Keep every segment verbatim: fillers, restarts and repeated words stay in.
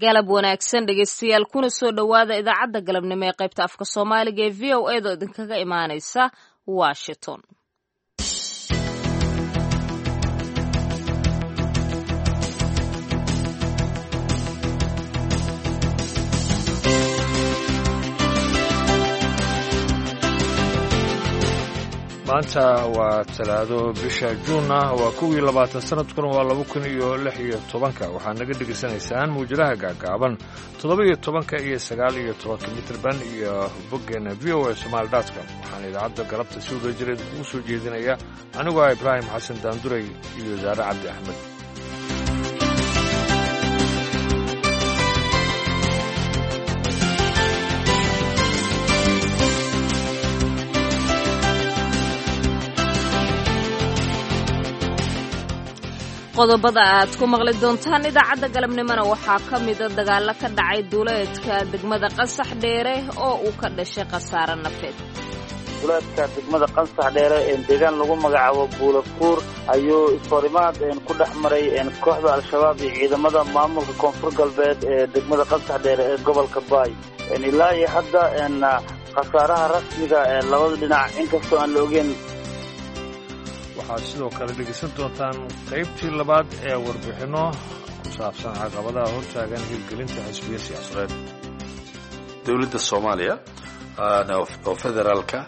Galab wanaagsan dhegeystayaal, kuna soo dhowaada idaacadda galabnimo ee qaybta afka Soomaaliga ee V O A da oo idinkaga imaaneysa Washington. Maanta waa Talaado, bisha Juunna waa kow iyo labaatan, sanadkuna waa laba kun iyo lix iyo tobanka. Waxaad naga dhegaysanaysaan mawjadaha gaagaaban toddoba iyo tobanka iyo sagaal iyo tobanka mitrban iyo boggeena V O A Somaali dotcom. Waxaana idaacadda galabta si wada jireed kugu soo jeedinaya anigoo ah Ibraahim Xasan Daanduray iyo Saare Cabdi Axmed. Qodobada aad ku maqli doontaan idaacadda galabnimona waxaa ka mida dagaalo ka dhacay duuleedka degmada Qansax Dheere oo uu ka dhashay khasaare nafeed. Duuleedka degmada Qansax Dheere ee deegaan lagu magacaabo Buulafuur ayuu isforimaad ku dhex maray kooxda Al-Shabaab iyo ciidamada maamulka Koonfur Galbeed ee degmada Qansax Dheere ee gobolka Baay. Ilaa iyo hadda khasaaraha rasmiga ee labada dhinac inkastoo aan la ogeyn. Waxaad sidoo kale dhegaysan doontaan qaybtii labaad ee warbixinno ku saabsan caqabadaha hortaagan hirgelinta xisbiya siyaasadeed. Dowladda Soomaaliya oo federaalka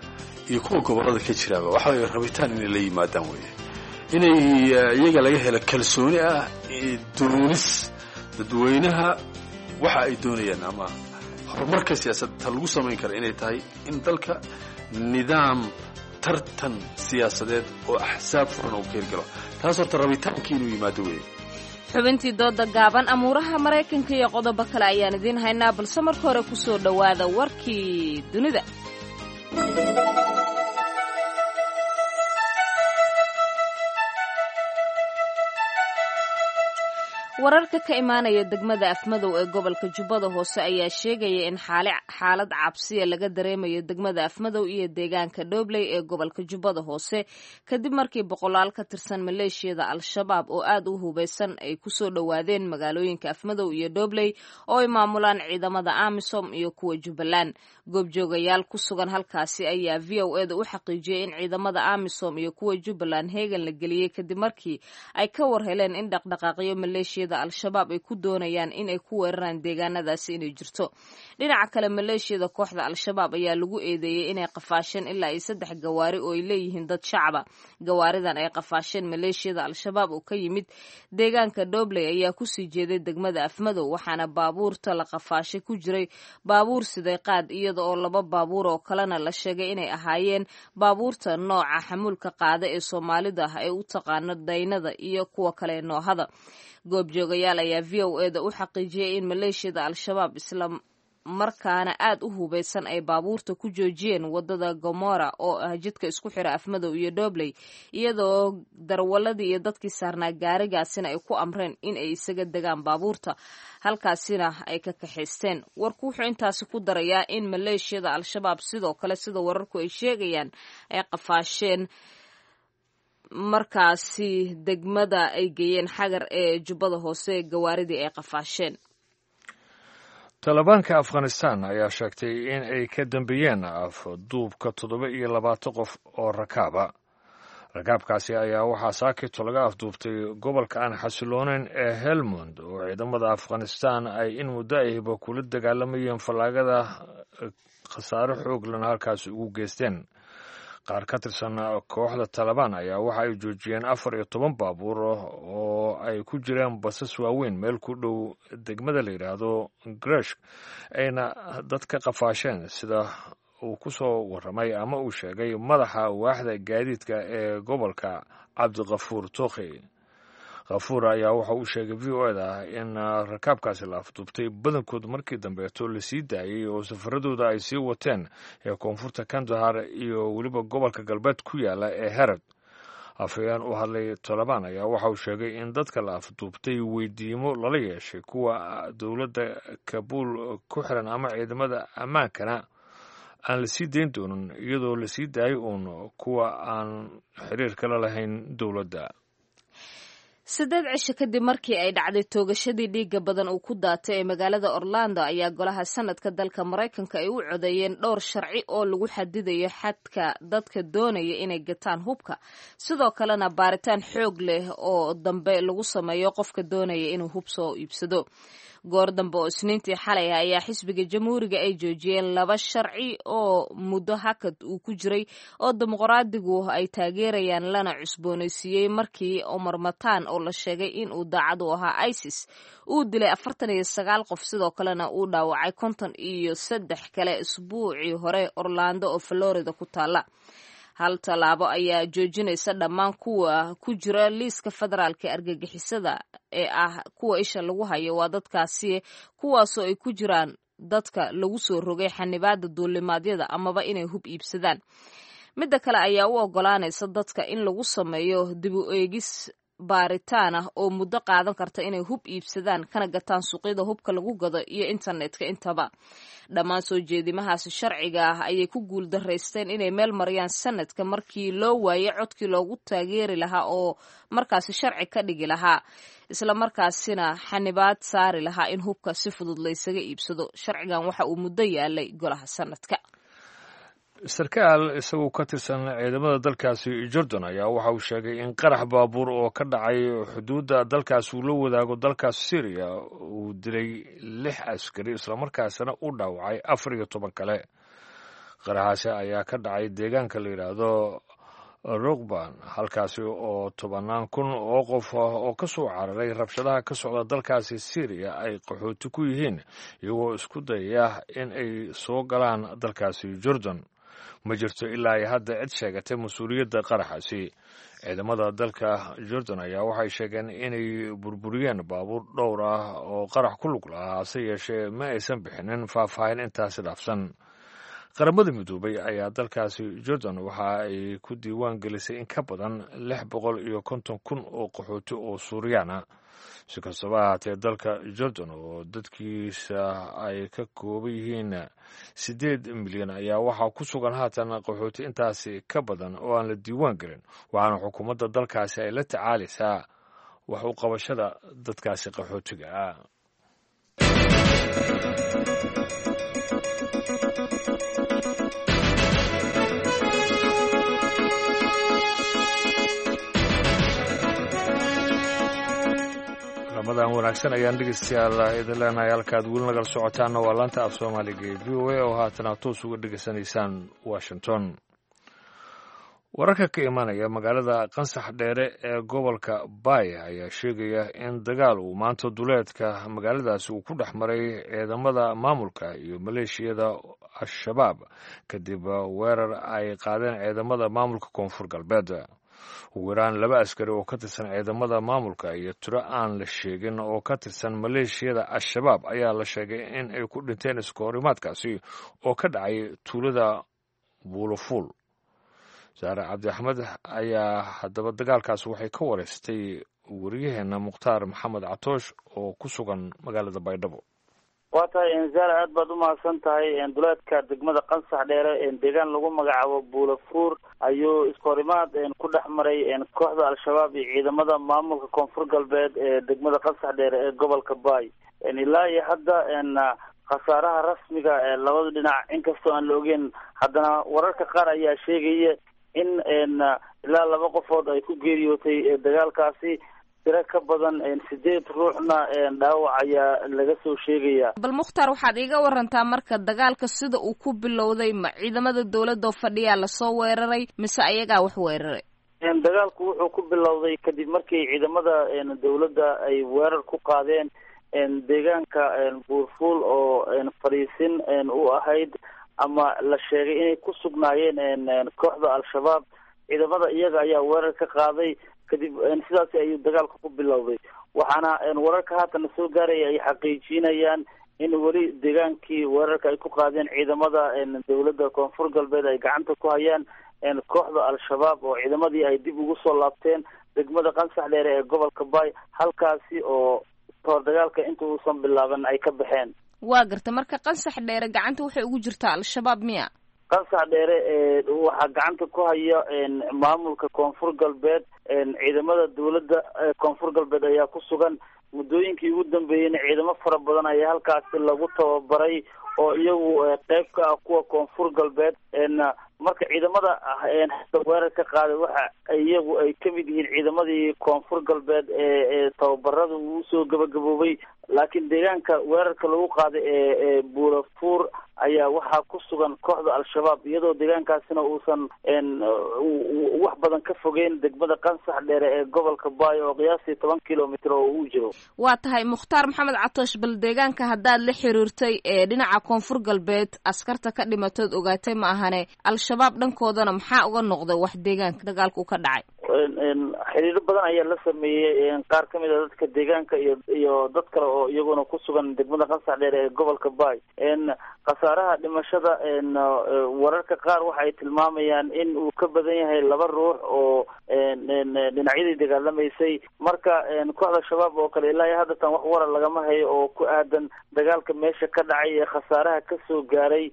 iyo kuwa gobollada ka jiraaba waxa way rabitaan inay la yimaadaan weeye, inay iyaga laga helo kalsooni ah doonis dadweynaha waxa ay doonayaan ama horumarka siyaasadta lagu samayn kara inay tahay in dalka nidaam tartan siyaasadeed oo axsaab furan uu ka hirgalo. Taas horta rabitaankii inuu yimaado weeye. Xubintii dooda gaaban, amuuraha Maraykanka iyo qodobo kale ayaan idiin haynaa, balse marka hore ku soo dhowaada warkii dunida. Wararka ka imaanaya degmada Afmadow ee gobolka Jubbada Hoose ayaa sheegaya in xaalad cabsiya laga dareemayo degmada Afmadow iyo deegaanka Dhobley ee gobolka Jubbada Hoose, kadib markii boqolaal ka tirsan maleeshiyada Al-Shabaab oo aad u hubeysan ay kusoo dhowaadeen magaalooyinka Afmadow iyo Dhobley oo ay maamulaan ciidamada AMISOM iyo kuwa Jubbaland. Goobjoogayaal ku sugan halkaasi ayaa V O A da u xaqiijiyey in ciidamada AMISOM iyo kuwa Jubbaland heegan la geliyey kadib markii ay ka war heleen in dhaqdhaqaaqyo maleeshiya Al-Shabaab ay ku doonayaan in ay ku weeraraan deegaanadaasi inay jirto. Dhinaca kale, maleeshiyada kooxda Al-Shabaab ayaa lagu eedeeyey inay qafaasheen ilaa iyo saddex gawaari oo ay leeyihiin dad shacaba. Gawaaridan ay qafaasheen maleeshiyada Al-Shabaab oo ka yimid deegaanka Dhobley ayaa kusii jeeday degmada Afmadow, waxaana baabuurta la qafaashay ku jiray baabuur siday qaad, iyada oo laba baabuur oo kalena la sheegay inay ahaayeen baabuurta nooca xamuulka qaada ee Soomaalida ay u taqaano daynada iyo kuwa kale noohada. Goobjoogayaal ayaa V O A da u xaqiijiyey in maleeshiyada Al-Shabaab isla markaana aad u hubeysan ay baabuurta ku joojiyeen wadada Gomora oo ah jidka isku xira Afmadow iyo Dhobley, iyadoo darwaladii iyo dadkii saarnaa gaarigaasina ay ku amreen in ay isaga degaan baabuurta, halkaasina ay ka kaxaysteen. Warku wuxuu intaasi ku darayaa in maleeshiyada Al-Shabaab sidoo kale, sida wararku ay sheegayaan, ay qafaasheen markaasi degmada ay geeyeen Xagar ee Jubbada Hoose gawaaridii ay qafaasheen. Talibaanka Afghanistan ayaa sheegtay in ay ka dambeeyeen afduubka toddoba iyo labaatan qof oo rakaaba. Rakaabkaasi ayaa waxaa saakito laga afduubtay gobolka aan xasiloonayn ee Helmund oo ciidamada Afghanistan ay in muddo ahiba kula dagaalamayeen fallaagada, khasaare xooglana halkaasi ugu geysteen. Qaar ka tirsan kooxda Talabaan ayaa waxa ay joojiyeen afar iyo toban baabuur oo ay ku jireen basas waaweyn meel ku dhow degmada la yidhaahdo Greshk, ayna dad ka qafaasheen, sida uu ku soo warramay ama uu sheegay madaxa waaxda gaadiidka ee gobolka, Cabdikafuur Tookhi. Khafuur ayaa waxa uu sheegay V O da in rakaabkaasi la afduubtay badankood markii dambeeto lasii daayey oo safaradooda ay sii wateen ee koonfurta Kandahar iyo weliba gobolka galbeed ku yaala ee Herod. Afhayeen u hadlay Tolobaan ayaa waxa uu sheegay in dadka la afduubtay weydiimo lala yeeshay kuwa dowladda Kabuul ku xiran ama ciidamada ammaankana aan lasii dayn doonin, iyadoo lasii daayay uun kuwa aan xiriir kala lahayn dowladda. Siddeed cisho kadib markii ay dhacday toogashadii dhiigga badan uu ku daatay ee magaalada Orlando ayaa golaha sanadka dalka Maraykanka ay u codeeyeen dhowr sharci oo lagu xadidayo xadka dadka doonaya inay gataan hubka, sidoo kalena baaritaan xoog leh oo dambe lagu sameeyo qofka doonaya inuu hub soo iibsado. Goor dambe oo Isniintii xalay ah ayaa xisbiga Jamhuuriga ay joojiyeen laba sharci oo muddo hakad uu ku jiray oo Dimuqraadigu ay taageerayaan lana cusboonaysiiyey markii Omar Matan oo la sheegay in uu daacad u ahaa ISIS uu dilay afartan iyo sagaal qof, sidoo kalena uu dhaawacay konton iyo saddex kale isbuucii hore Orlando oo Florida ku taala. Hal tallaabo ayaa joojinaysa dhammaan kuwa ku jira liiska federaalka ee argagixisada ee ah kuwa isha lagu hayo, waa dadkaasi kuwaasoo ay ku jiraan dadka lagu soo rogay xanibaada duulimaadyada amaba inay hub iibsadaan. Midda kale ayaa u ogolaanaysa dadka in lagu sameeyo dib u eegis baaritaan ah oo muddo qaadan karta inay hub iibsadaan kana gataan suuqyada hubka lagu gado iyo internetka intaba. Dhammaan soo jeedimahaasi sharciga ah ayay ku guuldaraysteen inay meel mariyaan sanadka markii loo waayay codkii loogu taageeri lahaa oo markaasi sharci ka dhigi lahaa, isla markaasina xanibaad saari lahaa in hubka si fudud laysaga iibsado. Sharcigan waxa uu muddo yaalay golaha sanadka. Sarkaal isagoo ka tirsan ciidamada dalkaasi Jordan ayaa waxa uu sheegay in qarax baabuur oo ka dhacay xuduudda dalkaas uu la wadaago dalkaas Syriya uu dilay lix askari islamarkaasina u dhaawacay afar iyo toban kale. Qaraxaasi ayaa ka dhacay deegaanka la yidhaahdo Rukban, halkaasi oo tobannaan kun oo qof oo ka soo cararay rabshadaha ka socda dalkaasi Syriya ay qaxooti ku yihiin, iyagoo isku dayaya in ay soo galaan dalkaasi Jordan. Ma jirto ilaa ay hadda cid sheegatay mas-uuliyadda qaraxaasi. Ciidamada dalka Jordan ayaa waxay sheegeen inay burburiyeen baabuur dhowr ah oo qarax ku lug lahaa, hase yeeshee ma aysan bixinin faahfaahin intaasi dhaafsan. Qaramada Midoobay ayaa dalkaasi Jordan waxa ay ku diiwaan gelisay in ka badan lix boqol iyo konton kun oo qaxooti oo Suuriyaan ah. Si kastaba ahaatee, dalka Jordan oo dadkiisa ay ka kooban yihiin siddeed milyan ayaa waxaa ku sugan haatan qaxooti intaasi ka badan oo aan la diiwaan gelin, waxaana xukuumadda dalkaasi ay la tacaalaysaa wax u qabashada dadkaasi qaxootiga ah. Ramadan wanaagsan ayaan dhegeystayaal idin leenahay. Halkaad weli nagala socotaanna waa laanta af Soomaaliga ee V O A oo haatan aad toos uga dhegeysanaysaan Washington. Wararka ka imanaya magaalada Qansax Dheere ee gobolka Baay ayaa sheegaya in dagaal uu maanta duleedka magaaladaasi uu ku dhex maray ciidamada maamulka iyo maleeshiyada Al-Shabaab kadib weerar ay qaadeen ciidamada maamulka Koonfur Galbeed. Ugu yaraan laba askari oo ka tirsan ciidamada maamulka iyo tiro aan la sheegin oo ka tirsan maleeshiyada Al-Shabaab ayaa la sheegay in ay ku dhinteen iskahorimaadkaasi oo ka dhacay tuulada Buulofuul. Saare Cabdi Axmed ayaa haddaba dagaalkaas waxay ka wareystay wariyaheenna Mukhtaar Maxamed Catoosh oo ku sugan magaalada Baydhabo. Waa tahay Enzaala, aad baad umahadsan tahay. Duleedka degmada Qansax Dheere deegaan lagu magacaabo Buulafuur ayuu iskahorimaad ku dhex maray kooxda Al-Shabaab iyo ciidamada maamulka Koonfur Galbeed ee degmada Qansax Dheere ee gobolka Baay. Ilaa iyo hadda khasaaraha rasmiga ee labada dhinac inkastoo aan la ogeyn, haddana wararka qaar ayaa sheegaya in ilaa laba qofood ay ku geeriyootay dagaalkaasi, tiro ka badan sideed ruuxna dhaawac ayaa laga soo sheegaya. Bal Mukhtaar, waxaad iiga warantaa marka dagaalka sida uu ku bilowday, ma ciidamada dowladda oo fadhiyaa lasoo weeraray mise ayagaa wax weeraray? Dagaalku wuxuu ku bilowday kadib markii ciidamada dowladda ay weerar ku qaadeen deegaanka Buurfuul oo fadhiisin u ahayd ama la sheegay inay ku sugnaayeen kooxda Al-Shabaab. Ciidamada iyaga ayaa weerar ka qaaday, kadib sidaasi ayuu dagaalka ku bilowday. Waxaana wararka haatan soo gaaraya ay xaqiijinayaan in weli deegaankii weerarka ay ku qaadeen ciidamada dowladda Koonfur Galbeed ay gacanta ku hayaan kooxda Al-Shabaab oo ciidamadii ay dib ugu soo laabteen degmada Qansax Dheere ee gobolka Baay, halkaasi oo kahor dagaalka inta uusan bilaaban ay ka baxeen. Waa garta, marka Qansax Dheere gacanta waxay ugu jirtaa Al-Shabaab miya? Qansax Dheere waxaa gacanta ku haya maamulka Koonfur Galbeed. Ciidamada dawladda Koonfur Galbeed ayaa ku sugan. Muddooyinkii ugu dambeeyeyna ciidamo fara badan ayaa halkaasi lagu tababaray oo iyagu qeyb ka ah kuwa Koonfur Galbeed. Marka ciidamada weerar ka qaaday waxa iyagu ay kamid yihiin ciidamadii Koonfur Galbeed ee tababarada uu usoo gabagaboobay, laakiin deegaanka weerarka lagu qaaday ee Buulafuur ayaa waxaa ku sugan kooxda Al-Shabaab, iyadoo deegaankaasina uusan wax badan ka fogeyn degmada Qansax Dheere ee gobolka Baayo oo qiyaastii toban kilomitr oo uu jiro. Waa tahay Mukhtaar Maxamed Catoosh, bal deegaanka haddaad la xiriirtay ee dhinaca Koonfur Galbeed askarta ka dhimatood ogaatay ma ahane, Al-Shabaab dhankoodana maxaa uga noqday wax deegaanka dagaalku ka dhacay? Xiriiro badan ayaa la sameeyey qaar kamid a dadka deegaanka iyo iyo dad kale oo iyaguna ku sugan degmada Qansax Dheere ee gobolka Baay. Khasaaraha dhimashada wararka qaar waxa ay tilmaamayaan in uu ka badan yahay laba ruux oo dhinacyadii dagaalamaysay. Marka kooxda Shabaab oo kale ilaa iyo haddatan wax warar lagama hayo oo ku aadan dagaalka meesha ka dhacay ee khasaaraha kasoo gaaray,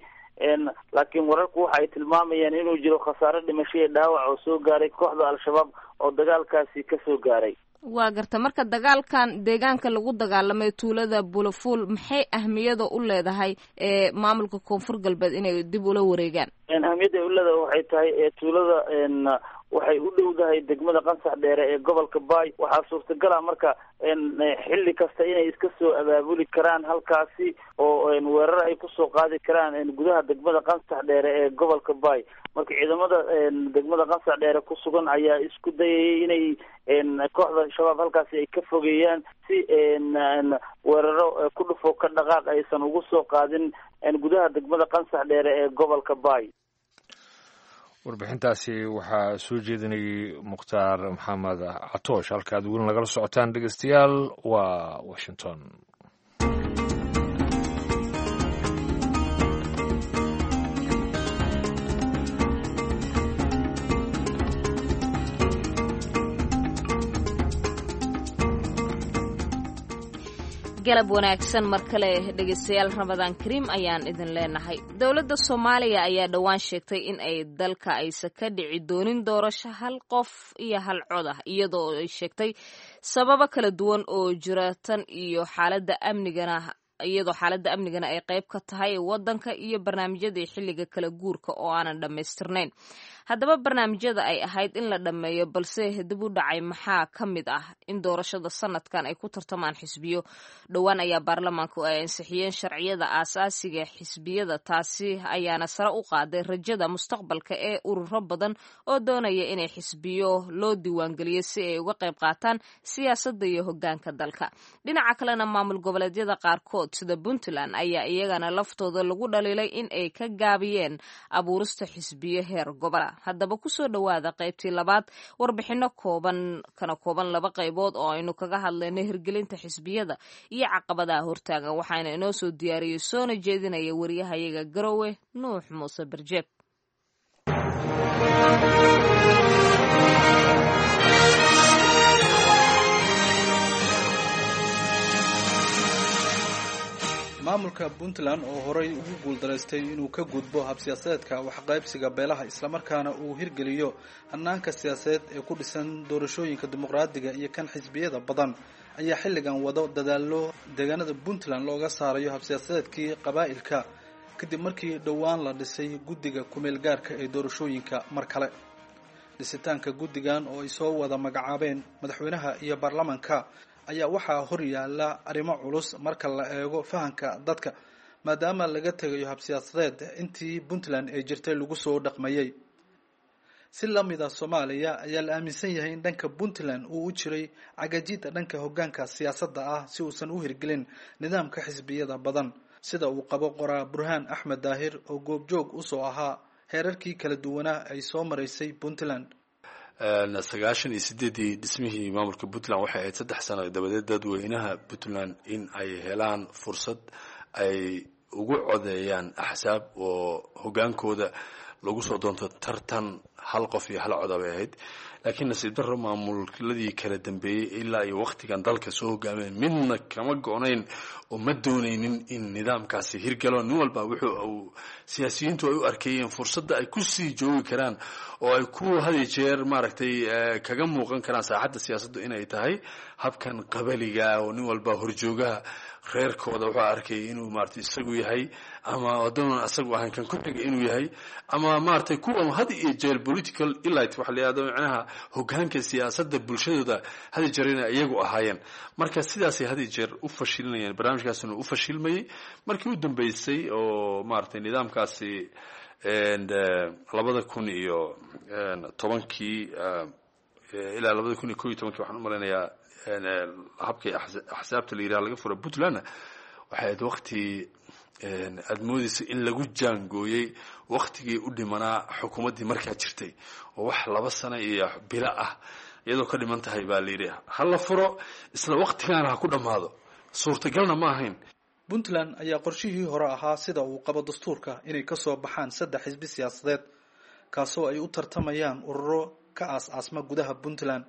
laakiin wararku waxa ay tilmaamayaan inuu jiro khasaare dhimasho iyo dhaawac oo soo gaaray kooxda Al-Shabaab oo dagaalkaasi kasoo gaaray. Waa garta. Marka dagaalkan deegaanka lagu dagaalamay tuulada Buulafuul maxay ahmiyada u leedahay ee maamulka Koonfur Galbeed inay dib ula wareegaan? Ahmiyadda ay u leedahay waxay tahay tuulada waxay u dhowdahay degmada Qansax Dheere ee gobolka Baay. Waxaa suurtagal ah marka xilli kasta inay iska soo abaabuli karaan halkaasi oo weerar ay kusoo qaadi karaan gudaha degmada Qansax Dheere ee gobolka Baay. Marka ciidamada degmada Qansax Dheere ku sugan ayaa isku dayayay inay kooxda Shabaab halkaasi ay ka fogeeyaan si weeraro ku dhufo ka dhaqaaq aysan ugu soo qaadin gudaha degmada Qansax Dheere ee gobolka Baay. Warbixintaasi waxaa soo jeedinayay Mukhtaar Maxamed Catoosh. Halka aad weli nagala socotaan dhegeystayaal waa Washington. Galab wanaagsan mar kale dhegeystayaal, Ramadaan Kariim ayaan idin leenahay. Dowladda Soomaaliya ayaa dhowaan sheegtay in ay dalka aysan ka dhici doonin doorasho hal qof iyo hal cod ah, iyadoo ay sheegtay sababo kala duwan oo jira tan iyo xaaladda amnigana, iyadoo xaaladda amnigana ay qayb ka tahay waddanka iyo barnaamijyadii xilliga kala guurka oo aanan dhammaystirnayn. Haddaba barnaamijyada ay ahayd in la dhammeeyo balse dib u dhacay maxaa ka mid ah in doorashada sanadkan ay ku tartamaan xisbiyo? Dhowaan ayaa baarlamaanku ay ansixiyeen sharciyada aasaasiga xisbiyada, taasi ayaana sare u qaaday rajada mustaqbalka ee ururo badan oo doonaya inay xisbiyo loo diiwaangeliyo si ay uga qayb qaataan siyaasadda iyo hoggaanka dalka. Dhinaca kalena maamul goboleedyada qaarkood sida Puntland ayaa iyagana laftooda lagu dhaliilay in ay ka gaabiyeen abuurista xisbiyo heer gobola. Haddaba kusoo dhowaada qaybtii labaad warbixino kooban kana kooban laba qaybood oo aynu kaga hadlayno hirgelinta xisbiyada iyo caqabadaha hortaagan. Waxaana inoo soo diyaariyey soona jeedinaya wariyahayaga Garowe, Nuux Muuse Barjeeb. Maamulka Puntland oo horay ugu guuldaraystay inuu ka gudbo habsiyaasadeedka waxqaybsiga beelaha islamarkaana uu hirgeliyo hannaanka siyaasadeed ee ku dhisan doorashooyinka dimuqraadiga iyo kan xisbiyada badan ayaa xilligan wado dadaallo deegaanada Puntland looga saarayo habsiyaasadeedkii qabaa'ilka, kadib markii dhowaan la dhisay guddiga kumeel gaarka ee doorashooyinka. Mar kale dhisitaanka guddigan oo ay soo wada magacaabeen madaxweynaha iyo baarlamaanka ayaa waxaa hor yaalla arrimo culus marka la eego fahanka dadka, maadaama laga tegayo habsiyaasadeed intii Puntland ay jirtay lagu soo dhaqmayay. Si lamida Soomaaliya ayaa la aaminsan yahay in dhanka Puntland uu u jiray cagajida dhanka hoggaanka siyaasadda ah si uusan u hirgelin nidaamka xisbiyada badan, sida uu qabo qoraa Burhaan Axmed Daahir oo goobjoog usoo ahaa heerarkii kala duwanaa ay soo maraysay Puntland. Sagaashan iyo sideeddii dhismihii maamulka Puntland waxay ahayd saddex sano dabadeed dadweynaha Puntland in ay helaan fursad ay ugu codeeyaan axsaab oo hoggaankooda lagu soo doonto tartan hal qof iyo hal coda bay ahayd. Laakiin nasiib darro, maamuladii kala dambeeyey ilaa iyo waktigan dalka soo hogaameen midna kama go-nayn oo ma doonaynin in nidaamkaasi hirgalo. Nin walba wuxuu siyaasiyiintu ay u arkeeyeen fursadda ay kusii joogi karaan oo ay ku had iyo jeer maaragtay kaga muuqan karaan saaxadda siyaasaddu inay tahay habkan qabaliga, oo nin walba horjoogaha reerkooda wuxuu arkayay inuu maaragtay isagu yahay, ama haddoonan isagu ahayn kan ku xiga inuu yahay, ama maaragtay kuwa had iyo jeer political elite waxa la yihahdo, macnaha hogaanka siyaasadda bulshadooda had iyo jeer inay iyagu ahaayeen. Marka sidaasay had iyo jeer u fashilinayeen, barnaamijkaasina u fashilmayey. Markii u dambeysay oo maaragtay nidaamkaasi labada kun iyo tobankii ilaa labada kun iyo ko iyo tobankii, waxaan u malaynayaa, habkay axsaabta la yidhaha laga fura Puntlandna, waxay ahayd wakti aada moodeysa in lagu jaangooyey waktigii u dhimanaa xukuumaddii markaa jirtay, oo wax laba sano iyo bilo ah iyadoo ka dhiman tahay baa la yidhi ha la furo, isla waktigaana ha ku dhammaado. Suurtagalna ma ahayn. Puntland ayaa qorshihii hore ahaa, sida uu qabo dastuurka, inay kasoo baxaan saddex xisbi siyaasadeed, kaasoo ay u tartamayaan ururo ka aas-aasma gudaha Puntland.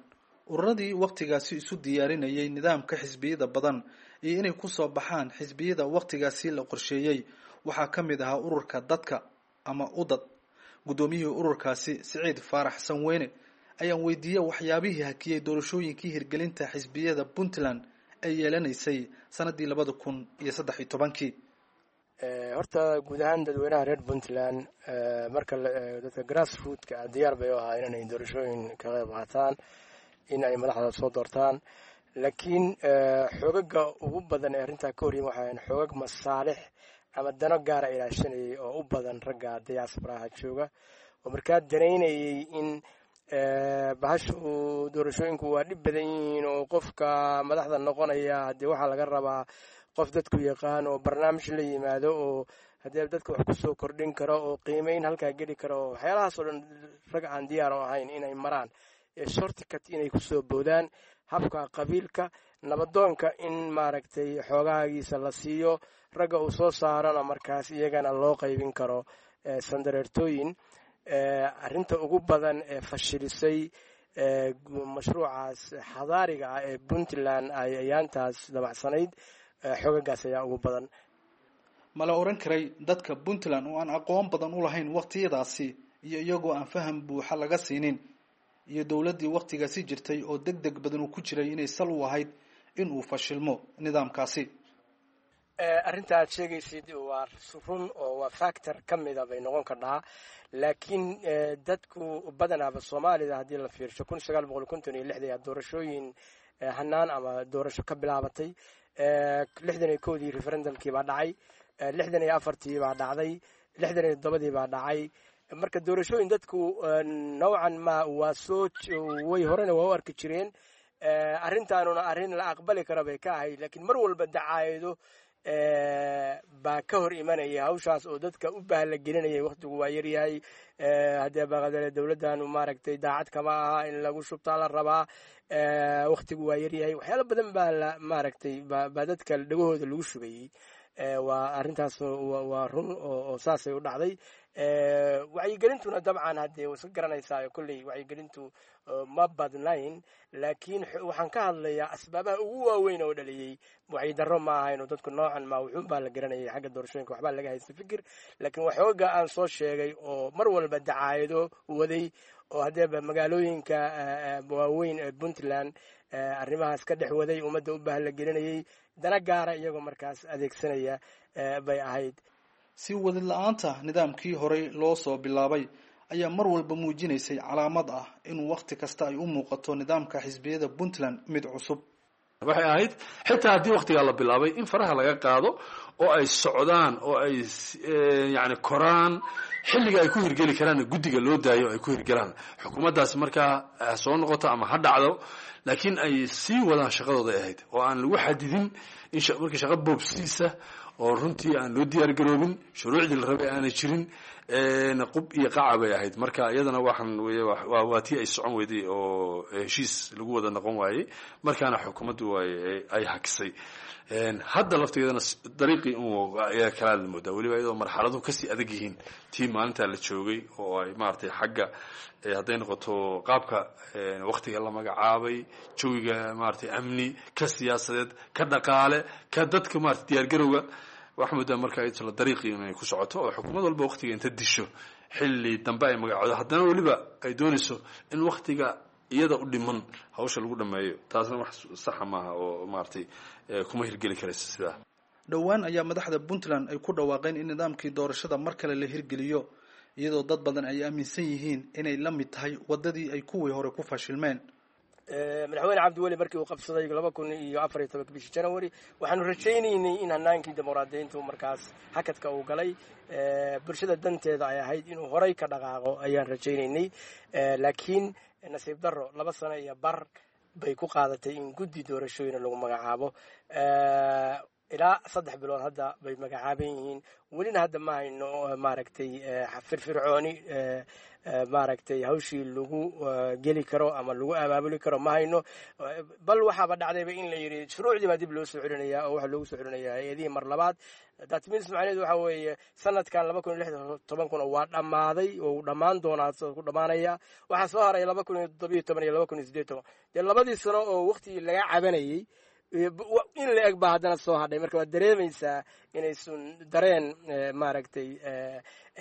Ururadii wakhtigaasi isu diyaarinayay nidaamka xisbiyada badan iyo inay kusoo baxaan xisbiyada wakhtigaasi la qorsheeyey waxaa ka mid ahaa ururka Dadka ama UDAD. Guddoomiyihii ururkaasi, Siciid Faarax Sanweyne, ayaan weydiiyey waxyaabihii hakiyey doorashooyinkii hirgelinta xisbiyada Puntland ay yeelanaysay sanadii labada kun iyo saddex iyo tobankii. Horta guud ahaan dadweynaha reer Puntland, marka dadka grassrootka ah, diyaar bay u ahaa inay doorashooyin ka qayb qaataan, in ay madaxda soo doortaan. Laakiin xoogaga ugu badan ee arrintaa ka horyimi waxay ahayn xoogag masaalix ama dano gaara ilaashanayay, oo u badan ragga diasporaha jooga, oo markaa danaynayay in bahashu doorashooyinku waa dhib badan yihiin, oo qofka madaxda noqonaya haddii waxaa laga rabaa qof dadku yaqaan oo barnaamij la yimaado, oo haddii dadka wax kusoo kordhin karo oo qiimeyn halkaa geli karo, oo waxyaalahaas oo dhan rag aan diyaar u ahayn inay maraan shortcut, inay kusoo boodaan habka qabiilka, nabadoonka in maaragtay xoogahaagiisa la siiyo, ragga uu soo saarona markaas iyagana loo qaybin karo sandareertooyin. Arrinta ugu badan ee fashilisay mashruucaas xadaariga ah ee Puntland ay ayaantaas dabacsanayd, xoogagaas ayaa ugu badan. Ma la oran karay dadka Puntland oo aan aqoon badan u lahayn wakhtiyadaasi, iyo iyagoo aan faham buuxa laga siinin, iyo dowladdii wakhtigaasi jirtay oo deg deg badan uu ku jiray, inay sal u ahayd in uu fashilmo nidaamkaasi? Arrinta aad sheegaysid waa run oo waa factor ka mida bay noqon kardhaa. Laakiin dadku badanaaba Soomaalida haddii la fiirsho, kun sagaal boqol konton iyo lixda ayaa doorashooyin hanaan ama doorasho ka bilaabatay. Lixdan iyo kowdii referendumkii baa dhacay, lixdan iyo afartii baa dhacday, lixdan iyo toddobadii baa dhacay. Marka doorashooyin dadku nowcan ma waa soo way horena waa u arki jireen. Arrintaanuna arrin la aqbali karo bay ka ahayd, laakiin mar walba dacaayado baa ka hor imanaya hawshaas oo dadka u bahla gelinaya. Waktigu waa yaryahay, haddee baqadale dowladdanu maaragtay daacad kama aha, in lagu shubtaa la rabaa, waktigu waa yaryahay, waxyaalo badan baa la maaragtay baa dadka dhagahooda lagu shubayey. Waa arrintaas, waa run oo saasay u dhacday. Wacyigelintuna dabcan haddee way iska garanaysaa, kolley wacyigelintu ma badnayn. Laakiin waxaan ka hadlayaa asbaabaha ugu waaweyn oo dhaliyey wacyi darro ma ahayn, oo dadku noocan ma wuxuun baa la garanayay xagga doorashooyinka, waxbaa laga haysta fikir. Laakiin waxooga aan soo sheegay oo mar walba dacaayado waday, oo haddeeba magaalooyinka waaweyn ee Puntland arrimahaas ka dhex waday, ummadda u bahla gelinayay, dana gaara iyagoo markaas adeegsanaya bay ahayd. Si wadid la-aanta nidaamkii horey loo soo bilaabay ayaa mar walba muujinaysay calaamad ah in wakhti kasta ay u muuqato nidaamka xisbiyada Puntland mid cusub. Waxay ahayd xitaa haddii waktigaa la bilaabay in faraha laga qaado oo ay socdaan oo ay yani koraan, xilliga ay ku hirgeli karaanna guddiga loo daayo ay ku hirgelaan. Xukuumaddaasi markaa ha soo noqoto ama ha dhacdo, laakiin ay sii wadaan shaqadooda ay ahayd, oo aan lagu xadidin in markii shaqo boobsiisa oo runtii aan loo diyaar garoobin, shuruucdii la rabay aanay jirin. Qub iyo qaca bay ahayd. Marka iyadana waxaan waa tii ay socon weyday oo heshiis lagu wada noqon waayey, markaana xukuumaddu ay hakisay. Hadda laftigeedana dariiqii ayaa kalaa la moodaa, weliba iyadoo marxaladuhu kasii adag yihiin tii maalintaa la joogay, oo ay maaragtay xagga hadday noqoto qaabka waktiga la magacaabay, jawiga maaragtay amni, ka siyaasadeed, ka dhaqaale, ka dadka maratay diyaargarowga, waxaa moodaa marka isla dariiqii inay ku socoto, oo xukuumad walba waktiga inta disho xilli dambe ay magacoodo, haddana weliba ay doonayso in waktiga iyada u dhiman hawsha lagu dhameeyo. Taasna wax saxa maaha oo maaragtay kuma hirgeli karaysa sidaa. Dhowaan ayaa madaxda Puntland ay ku dhawaaqeen in nidaamkii doorashada mar kale la hirgeliyo, iyadoo dad badan ay aaminsan yihiin inay la mid tahay waddadii ay kuwii hore ku fashilmeen. Madaxweyne Cabdiweli markii uu qabsaday laba kun iyo afar iyo tobanka bishii January, waxaanu rajaynaynay in hanaankii dimuqraadiyiintu markaas hakadka uu galay bulshada danteeda ay ahayd inuu horay ka dhaqaaqo ayaan rajaynaynay. Laakiin nasiib darro, laba sano iyo bar bay ku qaadatay in guddi doorashooyina lagu magacaabo. Ilaa saddex bilood hadda bay magacaaban yihiin, welina hadda ma hayno maaragtay firfircooni maaragtay hawshii lagu geli karo ama lagu abaabuli karo ma hayno. Bal waxaaba dhacdayba in la yidhi shuruucdii baa dib loo soo celinaya, oo waxaa loogu soo celinayaa hay-adihii mar labaad. That means macnaheedu waxa weeye sanadkan laba kun iyo lix toban kuna waa dhammaaday oo uu dhammaan doonaa, ku dhammaanaya. Waxaa soo haray laba kun iyo toddobiyo toban iyo laba kun iyo siddeed toban. Dee labadii sano oo waqtigii laga cabanayey in la eg baa haddana soo hadhay. Marka waad dareemaysaa inaysan dareen maaragtay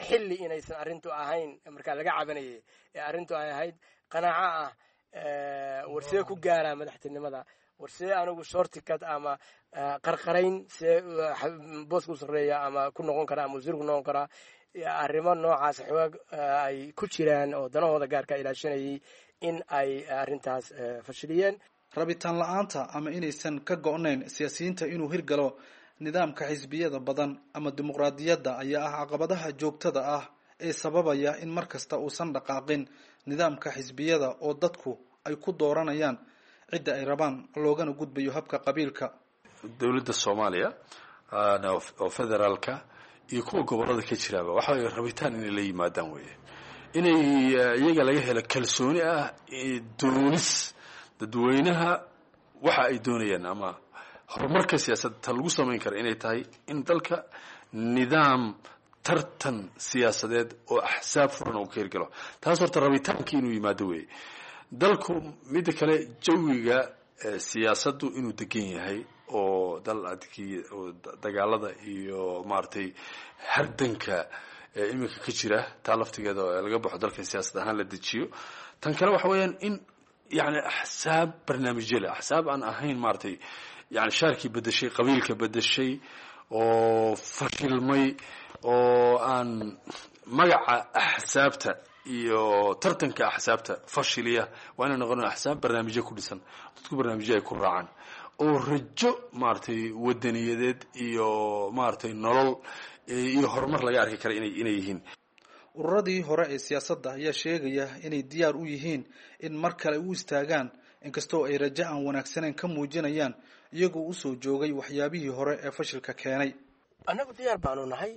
xilli inaysan arrintu ahayn markaa laga cabanayay ee arrintu ay ahayd qanaaco ah, warsee ku gaaraa madaxtinimada, warsee anigu shortcut ama qarqarayn see booska u sarreeya ama ku noqon karaa ama wasiir ku noqon karaa. Arrimo noocaas xoog ay ku jiraan oo danahooda gaarka ilaashanayay in ay arrintaas fashiliyeen. Rabitaan la-aanta ama inaysan ka go'nayn siyaasiyiinta inuu hirgalo nidaamka xisbiyada badan ama dimuqraadiyadda ayaa ah caqabadaha joogtada ah ee sababaya in mar kasta uusan dhaqaaqin nidaamka xisbiyada oo dadku ay ku dooranayaan cidda ay rabaan, loogana gudbayo habka qabiilka. Dowladda Soomaaliya oo federaalka iyo kuwa gobollada ka jiraaba waxa way rabitaan inay la yimaadaan weeye, inay iyaga laga helo kalsooni ah doonis dadweynaha waxa ay doonayaan ama horumarka siyaasadda ta lagu samayn kara inay tahay in dalka nidaam tartan siyaasadeed oo axsaab furan uu ka hirgalo. Taas horta rabitaankii inuu yimaado weeye dalku. Midda kale, jawiga siyaasaddu inuu degan yahay oo dal adkii oo dagaalada iyo maaragtay hardanka iminka ka jira taa laftigeeda laga baxo, dalka siyaasad ahaan la dejiyo. Tan kale waxa weeyaan in yani axsaab barnaamijyo leh, axsaab aan ahayn maaragtay yani shaarkii bedeshay, qabiilka bedeshay oo fashilmay, oo aan magaca axsaabta iyo tartanka axsaabta fashiliya. Waa inay noqon axsaab barnaamijyo ku dhisan, dadku barnaamijyo ay ku raacaan oo rajo maaragtay wadaniyadeed iyo maaragtay nolol iyo horumar laga arki kara inay inay yihiin. Ururadii hore ee siyaasadda ayaa sheegaya inay diyaar u yihiin in mar kale u istaagaan, inkastoo ay rajo aan wanaagsanayn ka muujinayaan iyagoo usoo joogay waxyaabihii hore ee fashilka keenay. Annagu diyaar baanu nahay.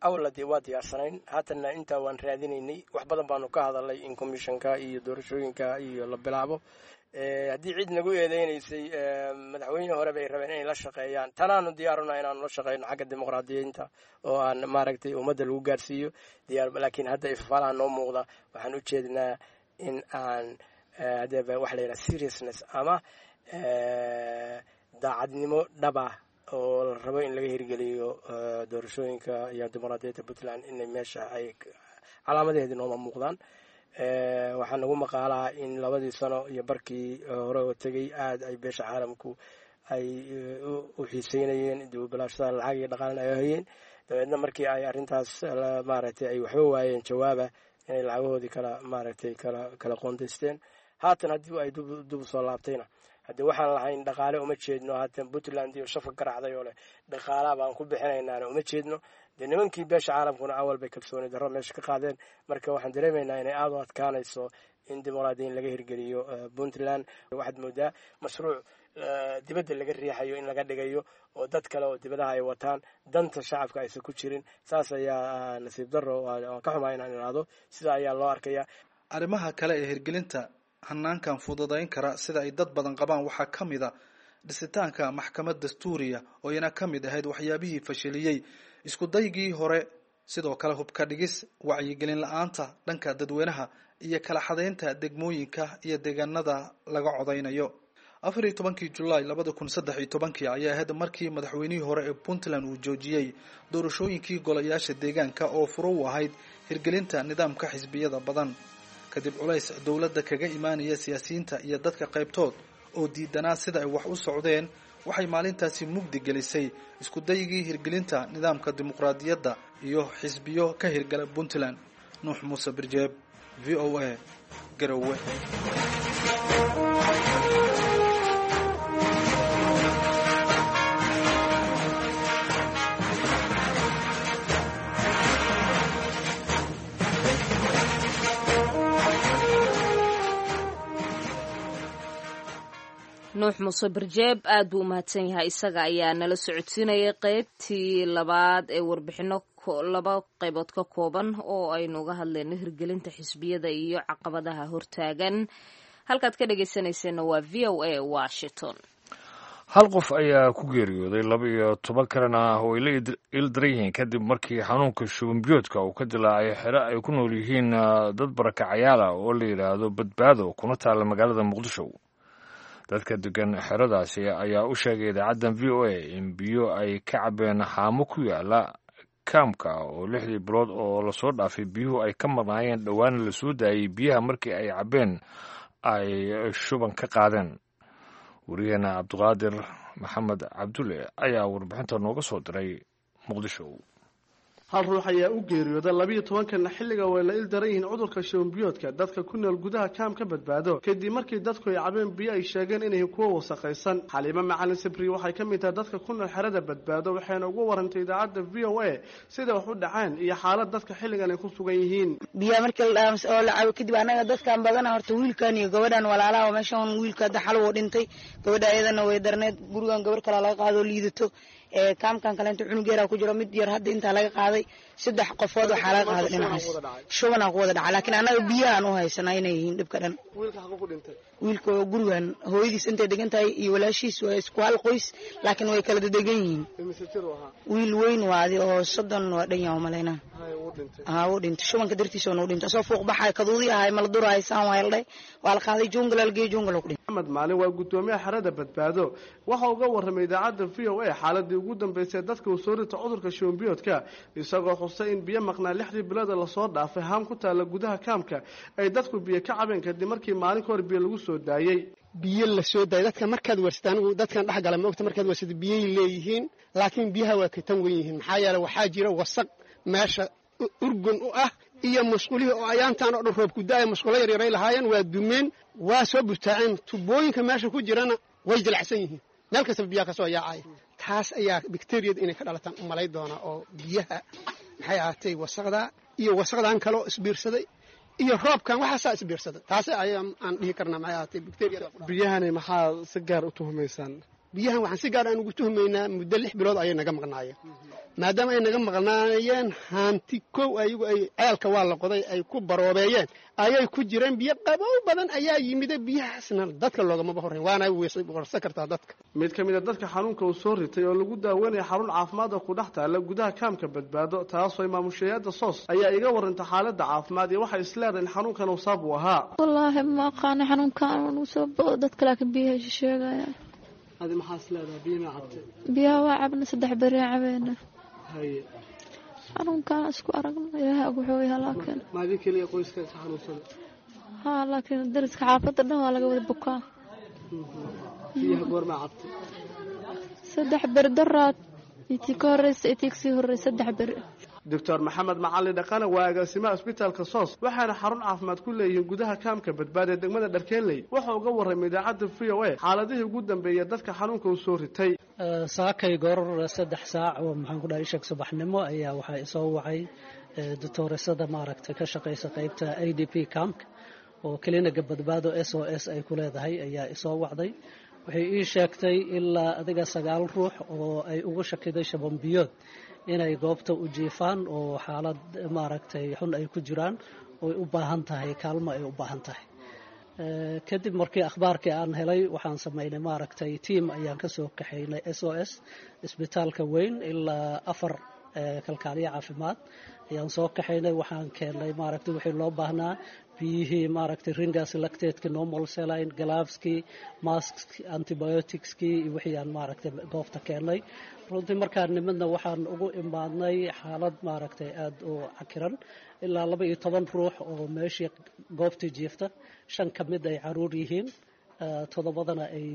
Awalna dee waa diyaarsanayn, haatanna intaa waan raadinaynay. Wax badan baanu ka hadalnay in commissionka iyo doorashooyinka iyo la bilaabo. Haddii cid nagu eedeynaysay madaxweyne hore bay rabeen inay la shaqeeyaan, tanaanu diyaaruna inaanu la shaqeyno xagga dimuqraadiyiinta oo aan maaragtay ummadda lagu gaarsiiyo diyaar. Laakiin hadda ifafaalaha noo muuqda waxaan u jeednaa in aan hadee waxa la yidhaha seriousness ama daacadnimo dhaba oo la rabo in laga hirgeliyo doorashooyinka iyo dimuqraadiyadda Puntland inay meesha ay calaamadaheedi nooma muuqdaan. Waxaa nagu maqaalaa in labadii sano iyo barkii hore oo tegey aada ay beesha caalamku ay u xiiseynayeen dibubalaashada, lacag iyo dhaqaalna ay hayeen. Dabeedna markii ay arrintaas maaragtay ay waxba waayeen jawaaba, inay lacagahoodii kala maaragtay kala kala qoondaysteen. Haatan haddii ay dib u soo laabtayna Haddii waxaan lahayn dhaqaale uma jeedno. Haatan Puntland iyo shafka garacday oo leh dhaqaalaha baan ku bixinaynaana uma jeedno. Dee nimankii beesha caalamkuna awal bay kalsooni darro meesha ka qaadeen. Marka waxaan dareemaynaa inay aada u adkaanayso in dimuqraadiyin laga hirgeliyo Puntland. Waxaad moodaa mashruuc dibadda laga riixayo in laga dhigayo oo dad kale oo dibadaha ay wataan, danta shacabka aysan ku jirin. Saas ayaa nasiib darro, waan ka xumaa inaan idhaahdo sida ayaa loo arkaya. Arrimaha kale ee hirgelinta hanaankan fududayn kara sida ay dad badan qabaan waxaa ka mid a dhisitaanka maxkamad dastuuriya oo iyana ka mid ahayd waxyaabihii fashiliyey isku daygii hore. Sidoo kale hubka dhigis, wacyigelin la-aanta dhanka dadweynaha iyo kala xadaynta degmooyinka iyo deegaanada laga codaynayo. Afar iyo tobankii Julaay labada kun saddex iyo tobankii ayaa ahayd markii madaxweynihii hore ee Puntland uu joojiyey doorashooyinkii golayaasha deegaanka oo furo u ahayd hirgelinta nidaamka xisbiyada badan, kadib culays dowladda kaga imaanaya siyaasiyiinta iyo dadka qaybtood oo diidanaa sida ay wax u socdeen. Waxay maalintaasi mugdi gelisay isku daygii hirgelinta nidaamka dimuqraadiyadda iyo xisbiyo ka hirgala Puntland. Nuux Muuse Birjeeb, V O A, Garowe. Nuux Muuse Barjeeb aad buu u mahadsan yahay, isaga ayaa nala socodsiinayay qeybtii labaad ee warbixino laba qaybood ka kooban oo aynu uga hadlayno hirgelinta xisbiyada iyo caqabadaha hortaagan. Halkaad ka dhegeysanayseena waa V O A Washington. Hal qof ayaa ku geeriyooday, laba iyo toban kalena way la ildaran yihiin kadib markii xanuunka shubanbiyoodka uu ka dilaacay xero ay ku nool yihiin dad barakacayaala oo la yidhaahdo Badbaado, kuna taalla magaalada Muqdisho. Dadka degan xeradaasi ayaa u sheegay idaacaddan V O A in biyo ay ka cabeen xaamo ku yaala kaamka oo lixdii bilood oo lasoo dhaafay biyuhu ay ka marnaayeen, dhowaana lasoo daayey biyaha markii ay cabeen ay shuban ka qaadeen. Wariyaheena Cabdiqaadir Maxamed Cabdulle ayaa warbixinta nooga soo diray Muqdisho. Hal ruux ayaa u geeriyooda, labiiyo tobankanna xilliga way la il daran yihiin cudurka shubanbiyoodka dadka ku nool gudaha kaamka Badbaado, kadib markii dadku ay cabeen biyo ay sheegeen inay kuwa wasaqaysan. Xaliimo Macalin Sibri waxay ka mid tahay dadka ku nool xerada Badbaado, waxayna ugu warantay idaacadda V O A sida wax u dhaceen iyo xaalad dadka xilligan ay ku sugan yihiin. Biyaha markii la dhaams oo la cabo kadib, annaga dadkan badana horta wiilkan iyo gabadhan walaalaha oo meeshan wiilka hadda xal wuu dhintay, gabadha ayadana way darneed. Gurigan gabar kalaa laga qaado liidato, kaamkan kaleento cunug yaraa ku jiro, mid yar hadda intaa laga qaaday. Saddex qofood waxaa laga qaaday dhinacaas, shubanaa ku wada dhaca, laakiin annaga biyahaan u haysanaa inay yihiin dhibka dhan. Wiilka gurigan hooyadiis intay degan tahay iyo walaashiis waa isku hal qoys, laakiin way kala dedegan yihiin. Wiil weyn waadi oo soddon waa dhan yaha umalaynaa. Haa, wuu dhintay shubanka dartiisa u dhintay, asoo fuuq baxay kaduudii ahay mala durahay saan waa la dhahay, waa la qaaday jungla la geeyey, jungla ku dhintay. Maxamed Maalin waa guddoomiyaha xerada Badbaado, waxa uga warramay idaacadda V O A xaaladii ugu dambeysay dadka uu soo rita cudurka shubanbiyoodka, isagoo xusay in biyo maqnaa lixdii bilood lasoo dhaafay haam ku taalla gudaha kaamka ay dadku biyo ka cabeen kadib markii maalin ka hor biyo lagu soo daayey. Biyo la soo daayay dadka markaad warsata, anigu dadkan dhex gala ma ogta, markaad warsata biyay leeyihiin, laakiin biyaha waa ka tan wen yihiin. Maxaa yeeley waxaa jira wasaq meesha urgun u ah iyo musqulihii oo ayaantan oo dhan roob ku da-ay, musqulo yaryaray lahaayeen waa dumeen, waa soo butaaceen. Tubooyinka meesha ku jirana way jilacsan yihiin, meel kastaba biyaha ka soo yaacaya. Taas ayaa bakteriyada inay ka dhalataan u malay doonaa oo biyaha maxay ahaatay wasaqda iyo wasaqdan kaloo isbiirsaday iyo roobkan waxaasaa isbiirsaday, taas ayaa aan dhihi karnaa maxay ahaatay bakteriyada. Biyahani maxaa si gaar u tuhumaysaan? Biyahan waxaan si gaar aan ugu tuhmaynaa muddo lix bilood ayay naga maqnaayeen. Maadaama ay naga maqnaayeen, haanti kow ayagu ay ceelka waa la qoday ay ku baroobeeyeen ayay ku jireen. Biyo qabow badan ayaa yimida, biyahaasna dadka loogamaba horreyn, waana warsa kartaa dadka. Mid ka mid a dadka xanuunka uu soo ritay oo lagu daaweynaya xarun caafimaad oo ku dhex taalla gudaha kaamka Badbaado, taasoo maamushayaada SOS, ayaa iga warantay xaaladda caafimaad iyo waxay isleedahay in xanuunkan uu saab u ahaa. Wallaahi ma aqaana xanuunkan uu soo bao dadka, laakiin biyaha sheegaya. Adi maxaa is leedahay? Biyo ma cabtay? Biyaha waa cabna, saddex beri cabeena. Haye. Xanuunkaan isku aragno Ilaahay og wuxuu yahay, laakiin maadin keliya qoyska ka xanuunsan? Haa, laakiin dariska xaafadda dhan waa laga wada bukaa. Biyaha goormaa cabtay? Saddex beri, daraad itii ka horreysa itii kasii horreysa, saddex beri. Doctor Maxamed Macalin Dhaqane waa agaasimaha isbitaalka Soos, waxaana xarun caafimaad ku leeyihiin gudaha kaamka Badbaado ee degmada Dharkeenley. Wuxuu uga warramay idaacadda V O A xaaladihii ugu dambeeyay dadka xanuunka uu soo ritay. Saakay goor saddex saac oo maxaan ku dhahay ishag subaxnimo ayaa waxaa isoo wacay doctooresada maaragtay ka shaqaysa qaybta A D P camp oo kliniga Badbaado S O S ay ku leedahay ayaa isoo wacday. Waxay ii sheegtay ilaa adiga sagaal ruux oo ay ugu shakiday shabambiyood inay goobta u jiifaan oo xaalad maaragtay xun ay ku jiraan oo u baahan tahay kaalmo ay u baahan tahay. Kadib markii akhbaarkii aan helay waxaan sameynay maaragtay tiam ayaan ka soo kaxaynay S O S isbitaalka weyn ilaa afar kalkaaliye caafimaad ayaan soo kaxaynay. Waxaan keennay maaragtay wixii loo baahnaa, biyihii maaragtay ringas lactate-ki, normal saline, gloveski, maskski, antibioticski iyo wixii aan maaragtay goobta keennay. Runtii markaan nimidna waxaan ugu imaadnay xaalad maaragtay aada u cakiran, ilaa laba iyo toban ruux oo meeshii goobtii jiifta, shan ka mid ay caruur yihiin, toddobadana ay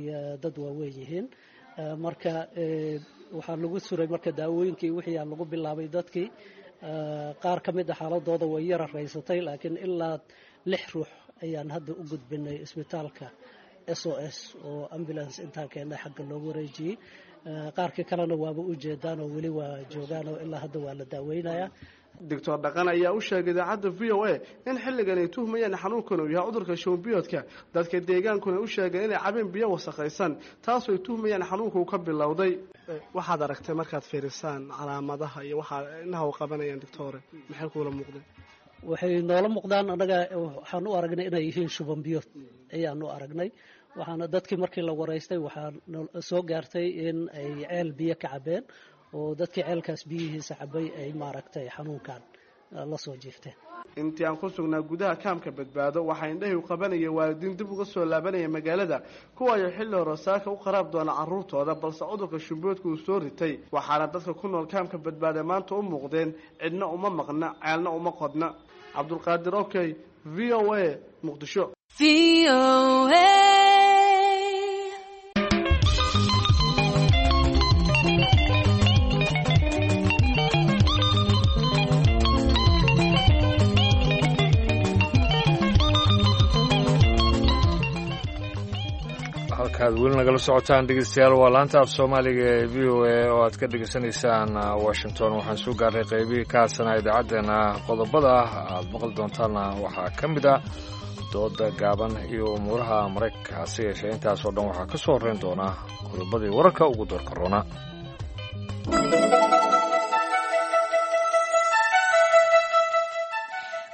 dad waaweyn yihiin. Marka waxaa lagu suray marka daawooyinkii wixii aan lagu bilaabay dadkii. Qaar ka mid a xaaladooda way yara raysatay, laakiin ilaa lix ruux ayaan hadda u gudbinay isbitaalka S O S oo ambulance intaan keennay xagga loogu wareejiyey. Qaarkii kalena waaba u jeedaan oo weli waa joogaan oo ilaa hadda waa la daaweynayaa. Doctor Dhaqan ayaa u sheegay idaacadda V O A in xilligan ay tuhmayaan xanuunkan uu yahay cudurka shuban-biyoodka. Dadka deegaankuna u sheegeen inay cabeen biyo wasakhaysan, taasoo ay tuhmayaan xanuunka uu ka bilowday. Waxaad aragtay markaad fiirisaan calaamadaha iyo waxaa indhaha u qabanayaan doctore, maxay kuula muuqdeen? Waxay noola muuqdaan annaga waxaan u aragnay inay yihiin shuban-biyood ayaan u aragnay. Waxaana dadkii markii la waraystay waxaa soo gaartay in ay ceel biyo ka cabeen oo dadkii ceelkaas biyihiisa cabay ay maaragtay xanuunkan la soo jiifteen. Intii aan ku sugnaa gudaha kaamka Badbaado waxaa indhahii u qabanaya waalidiin dib uga soo laabanaya magaalada, kuwa ay xilli hore saaka u qaraab doona carruurtooda, balse cudurka shumboodka uu soo ritay. Waxaana dadka ku nool kaamka Badbaado maanta u muuqdeen cidna uma maqna, ceelna uma qodna. Cabdulqaadir Okey, V O A, Muqdisho. Halkaad weli nagala socotaan dhegeystayaal waa laanta af soomaaliga ee V O A oo aad ka dhegeysanaysaan Washington. Waxaan soo gaarnay qaybihii ka hadsanaa idaacaddeena. Qodobada aad maqli doontaanna waxaa ka mid ah dooda gaaban iyo umuuraha Maraykanka. Hase yeeshee intaasoo dhan waxaa ka soo horreyn doona qodobadii wararka ugu doorka roona.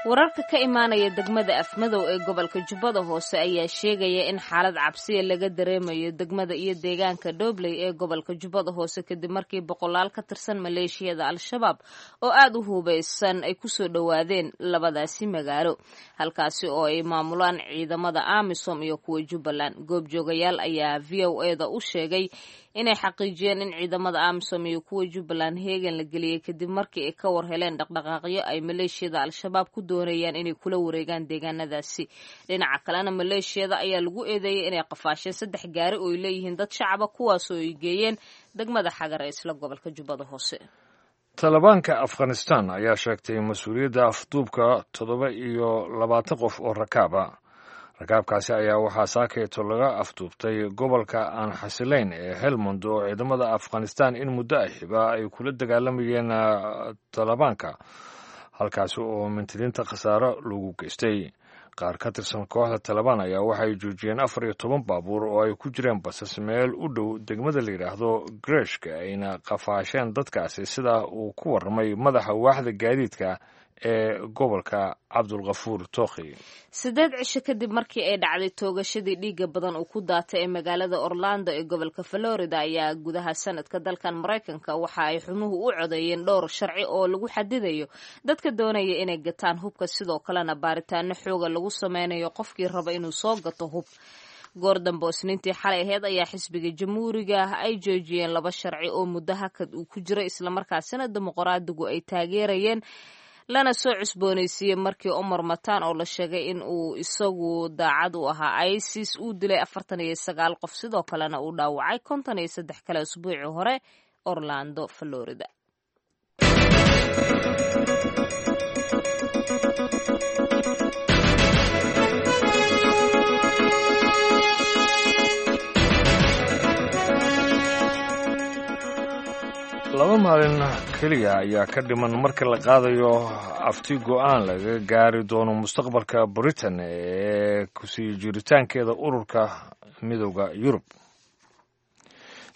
Wararka ka imaanaya degmada Afmadow ee gobolka Jubbada Hoose ayaa sheegaya in xaalad cabsiya laga dareemayo degmada iyo deegaanka Dhobley ee gobolka Jubbada Hoose kadib markii boqolaal ka tirsan maleeshiyada Al-Shabaab oo aad u hubaysan ay kusoo dhowaadeen labadaasi magaalo, halkaasi oo ay maamulaan ciidamada AMISOM iyo kuwa Jubbaland. Goobjoogayaal ayaa V O A da u sheegay inay xaqiijiyeen in ciidamada AMISOM iyo kuwa Jubbaland heegan la geliyey kadib markii ay ka war heleen dhaqdhaqaaqyo ay maleeshiyada Al-Shabaab ku doonayaan inay kula wareegaan deegaanadaasi. Dhinaca kalena maleeshiyada ayaa lagu eedeeyey inay qafaasheen saddex gaari oo ay leeyihiin dad shacaba, kuwaasoo ay geeyeen degmada Xagar ee isla gobolka Jubbada Hoose. Talibaanka Afghanistan ayaa sheegtay mas-uuliyadda afduubka toddoba iyo labaatan qof oo rakaaba. Rakaabkaasi ayaa waxaa saakeeto laga afduubtay gobolka aan xasilayn ee Helmand oo ciidamada Afghanistan in muddo ahiba ay kula dagaalamayeen talibaanka, halkaasi oo mintidiinta khasaaro lagu geystay. Qaar ka tirsan kooxda Talibaan ayaa waxay joojiyeen afar iyo toban baabuur oo ay ku jireen basas meel u dhow degmada la yidhaahdo Greshka, ayna qafaasheen dadkaasi, sida uu ku warramay madaxa waaxda gaadiidka ee gobolka Cabdulkafuur Tookhi. Sideed cisho kadib markii ay dhacday toogashadii dhiigga badan uu ku daatay ee magaalada Orlando ee gobolka Florida ayaa gudaha sanadka dalkan Maraykanka waxa ay xubnuhu u codeeyeen dhowr sharci oo lagu xadidayo dadka doonaya inay gataan hubka, sidoo kalena baaritaano xooga lagu sameynayo qofkii raba inuu soo gato hub. Goor dambe oo Isniintii xalay ahayd ayaa xisbiga Jamhuuriga ah ay joojiyeen laba sharci oo muddo hakad uu ku jiray, islamarkaasina dimuqraadigu ay taageerayeen lana soo cusboonaysiiyey markii Omar Matan oo la sheegay in uu isagu daacad u ahaa ISIS uu dilay afartan iyo sagaal qof, sidoo kalena uu dhaawacay konton iyo saddex kale usbuucii hore Orlando, Florida. Laba maalin keliya ayaa ka dhiman marka la qaadayo afti go'aan laga gaari doono mustaqbalka Britain ee kusii jiritaankeeda ururka Midowda Yurub.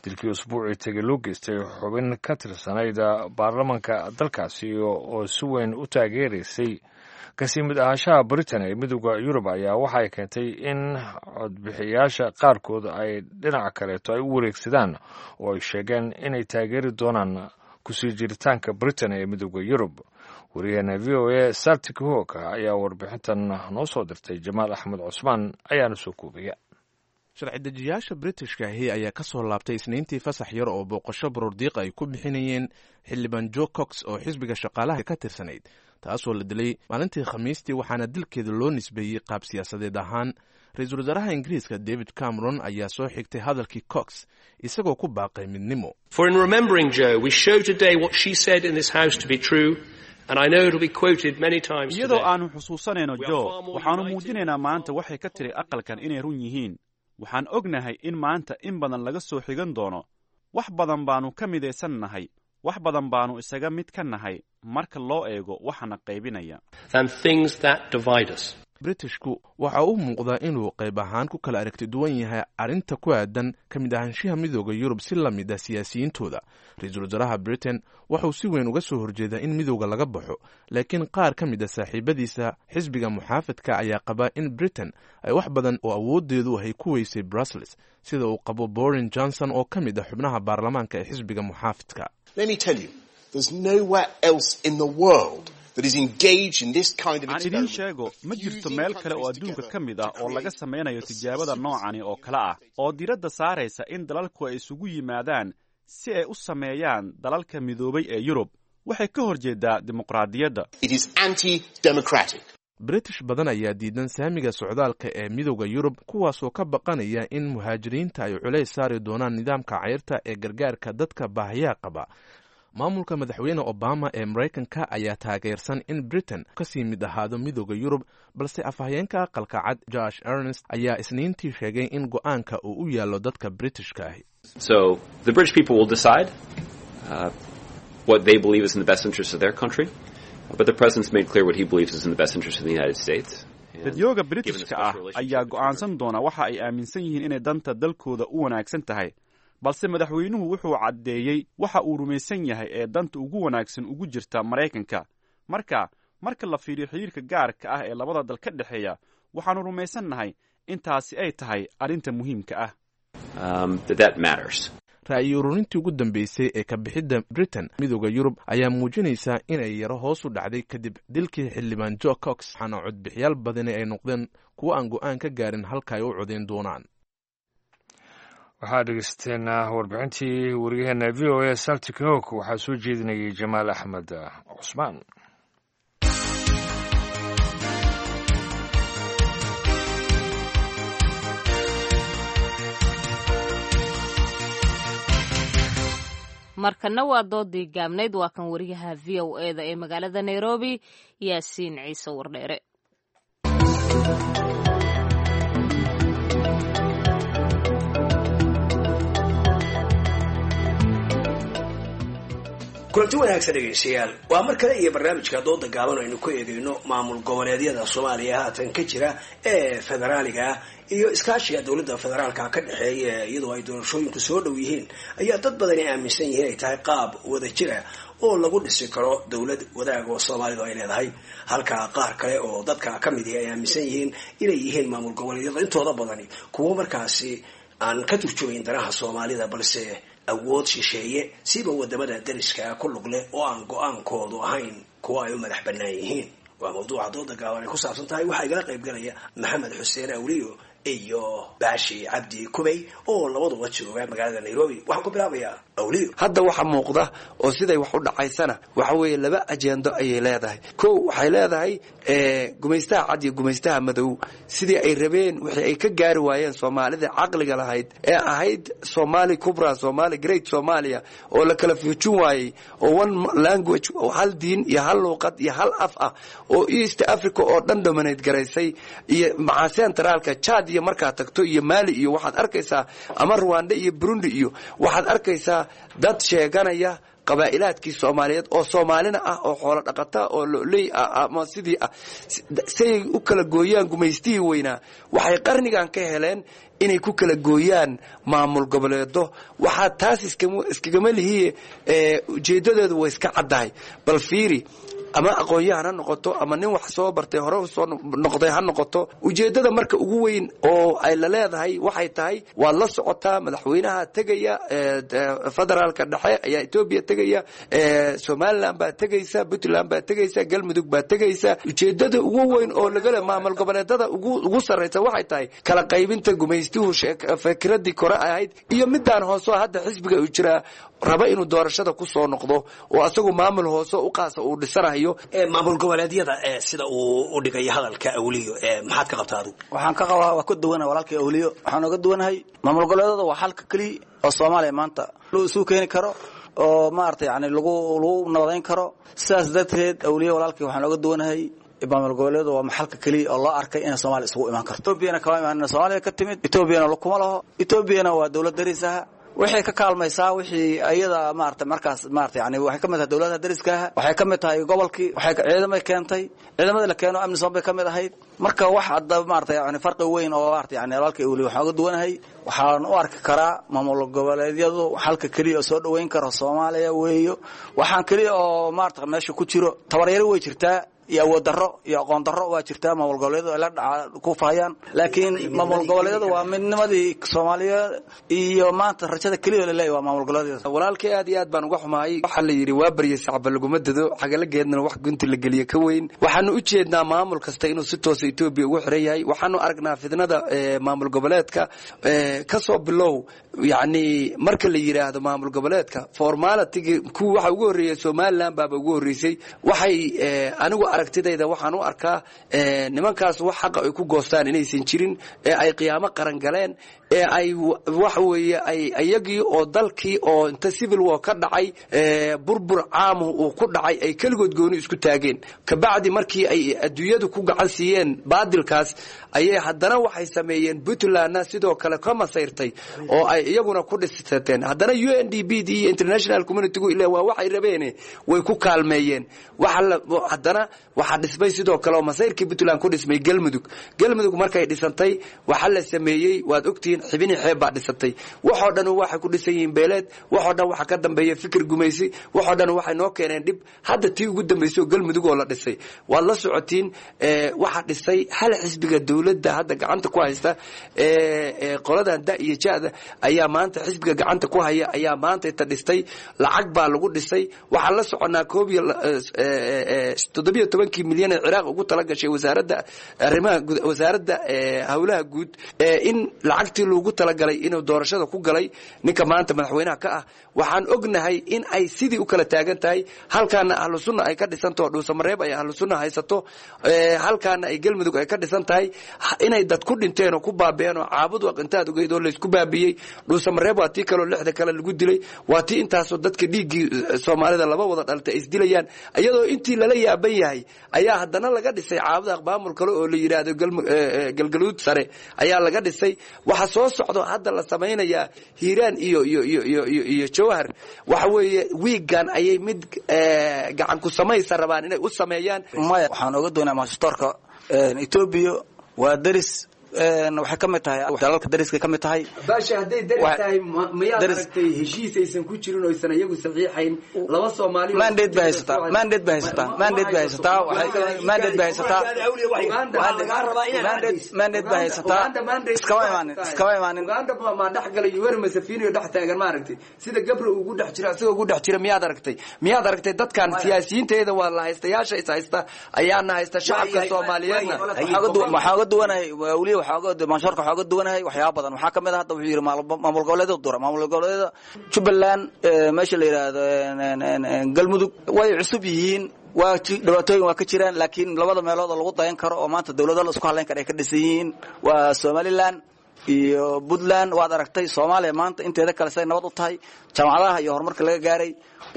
Dilkii usbuucii tegay loo geystay xubin ka tirsanayd baarlamanka dalkaasi oo si weyn u taageeraysay kasii mid ahaanshaha Britain ee Midowda Yurub ayaa waxay keentay in codbixiyaasha qaarkood ay dhinaca kaleeto ay u wareegsadaan oo ay sheegeen inay taageeri doonaan kusii jiritaanka Britain ee Midowda Yurub. Wariyaheena V O A Saltik Hoog ayaa warbixintan noo soo dirtay. Jamaal Axmed Cusmaan ayaana soo koobaya. Sharci dejiyaasha Britishka ahi ayaa ka soo laabtay Isniintii fasax yar oo booqasho baroordiiqa ay ku bixinayeen xildhibaan Jo Cox oo xisbiga shaqaalaha ka tirsanayd, taasoo la dilay maalintii Khamiistii, waxaana dilkeeda loo nisbeeyey qaab siyaasadeed ahaan. Ra-iisul wasaaraha Ingiriiska David Cameron ayaa soo xigtay hadalkii Cox, isagoo ku baaqay midnimo. Iyadoo aannu xusuusanayno Jo, waxaannu muujinaynaa maanta waxay ka tiri aqalkan inay run yihiin. Waxaan ognahay in maanta in badan laga soo xigan doono. Wax badan baannu ka midaysan nahay, wax badan baannu isaga mid ka nahay marka loo eego waxaana qaybinaya. Britishku waxa uu muuqdaa inuu qayb ahaan ku kala aragti duwan yahay arrinta ku aadan ka mid ahaanshiha Midooda Yurub si la mid ah siyaasiyiintooda. Ra-iisul wasaaraha Britain wuxuu si weyn uga soo horjeedaa in midowda laga baxo, laakiin qaar ka mid a saaxiibadiisa xisbiga muxaafidka ayaa qaba in Britain ay wax badan oo awoodeedu ahay ku weysay Brussels, sida uu qabo Borin Johnson oo ka mid ah xubnaha baarlamaanka ee xisbiga muxaafidka. Aan idiin sheego, ma jirto meel kale oo adduunka ka mid ah oo laga samaynayo tijaabada noocani oo kale ah, oo diiradda saaraysa in dalalku ay isugu yimaadaan si ay u sameeyaan dalalka midoobay ee Yurub. Waxay ka hor jeedaa dimuqraadiyadda. British badan ayaa diidan saamiga socdaalka ee Midowda Yurub, kuwaasoo ka baqanaya in muhaajiriinta ay culays saari doonaan nidaamka cayrta ee gargaarka dadka baahiyaha qaba. Maamulka madaxweyne Obama ee Maraykanka ayaa taageersan in Britain kasii mid ahaado Midowda Yurub, balse afhayeenka Aqalka Cad Josh Ernest ayaa Isniintii sheegay in go-aanka uu u yaallo dadka Britishka ahi. Dadyooga Britishka ah ayaa go'aansan doona waxa ay aaminsan yihiin inay danta dalkooda u wanaagsan tahay, balse madaxweynuhu wuxuu caddeeyey waxa uu rumaysan yahay ee danta ugu wanaagsan ugu jirta Maraykanka. Marka marka la fiiriyo xiriirka gaarka ah ee labada dal ka dhexeeya, waxaannu rumaysannahay in taasi ay tahay arrinta muhiimka ah. Ra'yi ururintii ugu dambeysay ee ka bixidda Britain Midowda Yurub ayaa muujinaysaa inay yaro hoos u dhacday kadib dilkii xildhibaan Jo Cox, waxaana codbixiyaal badani ay noqdeen kuwo aan go'aan ka gaarin halka ay u codeyn doonaan. Waxaa dhegeysateen warbixintii wariyaheena V O A Saltik Hok. Waxaa soo jeedinayay Jamaal Axmed Cusmaan. Markana waa doodii gaabnayd. Waa kan wariyaha V O e da ee magaalada Nairobi, Yaasiin Ciise Wardheere. Kulanti wanaagsan dhegaystayaal, waa mar kale iyo barnaamijka dooda gaaban aynu ku eegayno maamul goboleedyada Soomaaliya haatan ka jira ee federaaliga ah iyo iskaashiga dowladda federaalka ka dhexeeya. Iyadoo ay doorashooyinku soo dhow yihiin ayaa dad badani aaminsan yihiin ay tahay qaab wada jira oo lagu dhisi karo dowlad wadaag oo Soomaalidu ay leedahay, halka qaar kale oo dadka ka mid ihi ay aaminsan yihiin inay yihiin maamul goboleedyada intooda badani kuwo markaasi aan ka turjumayn danaha Soomaalida, balse awood shisheeye siba wadamada dariska ku lug leh oo aan go-aankoodu ahayn kuwa ay u madax bannaan yihiin. Waa mawduuca dooda gaaban ay ku saabsan tahay. Waxaa igala qayb galaya Maxamed Xuseen Awliyo iyo Baashi Cabdi Kubey oo labaduba jooga magaalada Nairobi. Waxaan ku bilaabayaa Awliyo. Hadda waxa muuqda oo siday wax u dhacaysana waxa weeye laba ajendo ayay leedahay. Kow, waxay leedahay gumaystaha cad iyo gumaystaha madow sidii ay rabeen wixii ay ka gaari waayeen Soomaalida caqliga lahayd ee ahayd Somali Kubra, Somali Great Somalia, oo la kala fuujin waayey, oo one language oo hal diin iyo hal luuqad iyo hal af ah oo East Africa oo dhan dominate garaysay, iyo maca centraalka Chad iyo markaa tagto iyo Mali iyo waxaad arkaysaa ama Rwanda iyo Burundi iyo waxaad arkaysaa dad sheeganaya qabaa'ilaadkii Soomaaliyeed oo Soomaalina ah oo xoolo dhaqata oo loley ah ama sidii ah say u kala gooyaan gumaystihii weynaa. Waxay qarnigan ka heleen inay ku kala gooyaan maamul goboleedo. Waxaa taas iskagama lihiye, ujeedadeedu way iska caddahay. Bal fiiri, ama aqoon-yahan ha noqoto ama nin wax soo bartay hore usoo noqday ha noqoto, ujeeddada marka ugu weyn oo ay la leedahay waxay tahay waad la socotaa, madaxweynaha tegaya federaalka dhexe ayaa Etoobiya tegaya, Somaliland baa tegaysa, Puntland baa tegaysa, Galmudug baa tegaysa. Ujeeddada ugu weyn oo lagale maamul goboleedada ugu sarraysa waxay tahay kala qaybinta gumaystuhu fikiradii kore ahayd iyo midaan hooseo hadda xisbiga uu jiraa raba inuu doorashada ku soo noqdo oo asagu maamul hoose u qaasa uu dhisanayo. Maamul goboleedyada sida uu u dhigay hadalka Awliyo, maxaad ka qabtaa adigu? Waxaan ka qabaa waa ka duwanahay walaalkay Awliyo. Waxaan oga duwanahay maamul goboleedyada waa xalka keliya oo Soomaaliya maanta loo isu keeni karo oo maaragtay yani lagu lagu nabadayn karo. Sidaas darteed Awliyo walaalkay waxaan oga duwanahay maamul goboleedyadu waa maxalka keliya oo loo arkay inay Soomaaliya isugu imaan karto. Etoobiyana kama imaan, Soomaaliya ka timid, Etoobiyana kuma laho, Etoobiyana waa dowlad daris ah, waxay ka kaalmaysaa wixii ayada maaragtay markaas maaragtay yani waxay ka mid tahay dowladaha dariska ah, waxay ka mid tahay gobolkii, waxay ciidamay keentay, ciidamada la keeno amni bay ka mid ahayd. Marka wax hadda maaragtay yani farqi weyn oo maaragtay yani walaalkay Awliyo waxaan uga duwanahay, waxaan u arki karaa maamul goboleedyadu xalka keliya oo soo dhoweyn karo Soomaaliya weeyo. Waxaan keliya oo maaragtay meesha ku jiro tabaryaro way jirtaa iyo awood darro iyo aqoon darro waa jirtaa maamul goboleedyadu ay la dhaca ku faayaan, laakiin maamul goboleedyadu waa midnimadii Soomaaliya iyo maanta rajada keliya la leeyahay waa maamul goboleedyada. Walaalkay aad iyo aad baan uga xumahay. Waxaa la yidhi waa baryay sacba laguma dado, xagalageedna wax gunti la geliye ka weyn. Waxaanu u jeednaa maamul kasta inuu si toosa Etoobiya ugu xiran yahay. Waxaanu aragnaa fidnada maamul goboleedka ka soo bilow, yacni marka la yidhaahdo maamul goboleedka formality kuwa waxa ugu horreeyay Somaliland baaba ugu horreysay. Waxay anigu aragtidayda waxaan u arkaa nimankaas wax xaqa ay ku goostaan inaysan jirin ee ay qiyaamo qaran galeen ee ay waxa weeye ay iyagii oo dalkii oo inta civil war ka dhacay burbur caamu uu ku dhacay ay keligood gooni isku taageen. Kabacdi markii ay adduunyadu ku gacan siiyeen baadilkaas ayay haddana waxay sameeyeen Puntlandna sidoo kale ka masayrtay oo ay iyaguna ku dhisateen. Haddana U N D B d iyo international community-gu ilaa waa waxay rabeene way ku kaalmeeyeen. Waxa haddana waxaa dhismay sidoo kale oo masayrkii Puntland ku dhismay Galmudug. Galmudug markay dhisantay waxa la sameeyey waad ogtihiin, xibini xeeb baa dhisantay. Waxoo dhan waxay ku dhisan yihiin beeleed, waxoo dhan waxa ka dambeeya fikir gumaysi, waxoo dhan waxay noo keeneen dhib. Hadda tii ugu dambeysay oo Galmudug oo la dhisay waad la socotiin, waxa dhisay hal xisbiga dowladda hadda gacanta ku haysta qoladan da iyo ja'da ayaa maanta xisbiga gacanta ku haya ayaa maanta ta dhistay, lacag baa lagu dhisay. Waxaan la soconaa koob iyo toddobiyo tobankii milyan ee Ciraaq ugu tala gashay wasaaradda arrimaha wasaaradda howlaha guud in lacagtii loogu talagalay inuu doorashada ku galay ninka maanta madaxweynaha ka ah. Waxaan ognahay in ay sidii u kala taagan tahay, halkaana ahlu sunna ay ka dhisantaho Dhuusamareeb ay ahlu sunna haysato, halkaana ay Galmudug ay ka dhisan tahay, inay dad ku dhinteen oo ku baabeen oo caabud waq intaad ogeyd oo laysku baabiyey. Dhuusamareeb waa tii kaloo lixda kale lagu dilay, waa tii intaasoo dadka dhiiggii Soomaalida laba wada dhaltay ay isdilayaan iyadoo intii lala yaaban yahay ayaa haddana laga dhisay caabud aqbaamul kale oo la yidhaahdo Galgaluud sare ayaa laga dhisay. Waxa soo socdo hadda la samaynayaa Hiiraan iyo iyo iyo iyo iyo iyo Jowhar. Waxa weeye wiigan ayay mid gacan ku samaysa rabaan inay u sameeyaan. Maya, waxaan oga doonaa maastorka Etoobiya waa daris, waxay ka mid tahay dalalka dariska ka mid tahay. Baasha hadday daris tahay miyaad aragtay heshiis aysan ku jirin oo aysan iyagu saxiixayn laba Soomaali? Mandate bay haysataa, mandate bay haysataa, mandate bay haysataa, waxay mandate bay haysataa, mandate bay haysataa. Iskama imaanin, iskama imaanin. Uganda ma dhex galay Yoweri Museveni oo dhex taagan ma aragtay sida Gabriel ugu dhex jira isagoo ugu dhex jira miyaad aragtay? Miyaad aragtay dadkan siyaasiyiinteeda waa la haystayaasha is haysta ayaana haysta shacabka Soomaaliyeedna. Waxaan uga duwanahay Awliyo, waxaa maanshoorka waxaa uga duwanahay waxyaaba badan. Waxaa kamid ah hadda wuxuu yidhi maamul goboleedyada dura, maamul goboleedyada Jubbaland, meesha la yidhaahdo Galmudug way cusub yihiin, waa dhibaatooyin waa ka jiraan, laakiin labada meelood oo lagu dayan karo oo maanta dawlado la isku hadlayn karo ay ka dhisan yihiin waa Somaliland iyo Puntland. Waad aragtay Soomaaliya maanta inteeda kale say nabad u tahay, jaamacadaha iyo horumarka laga gaaray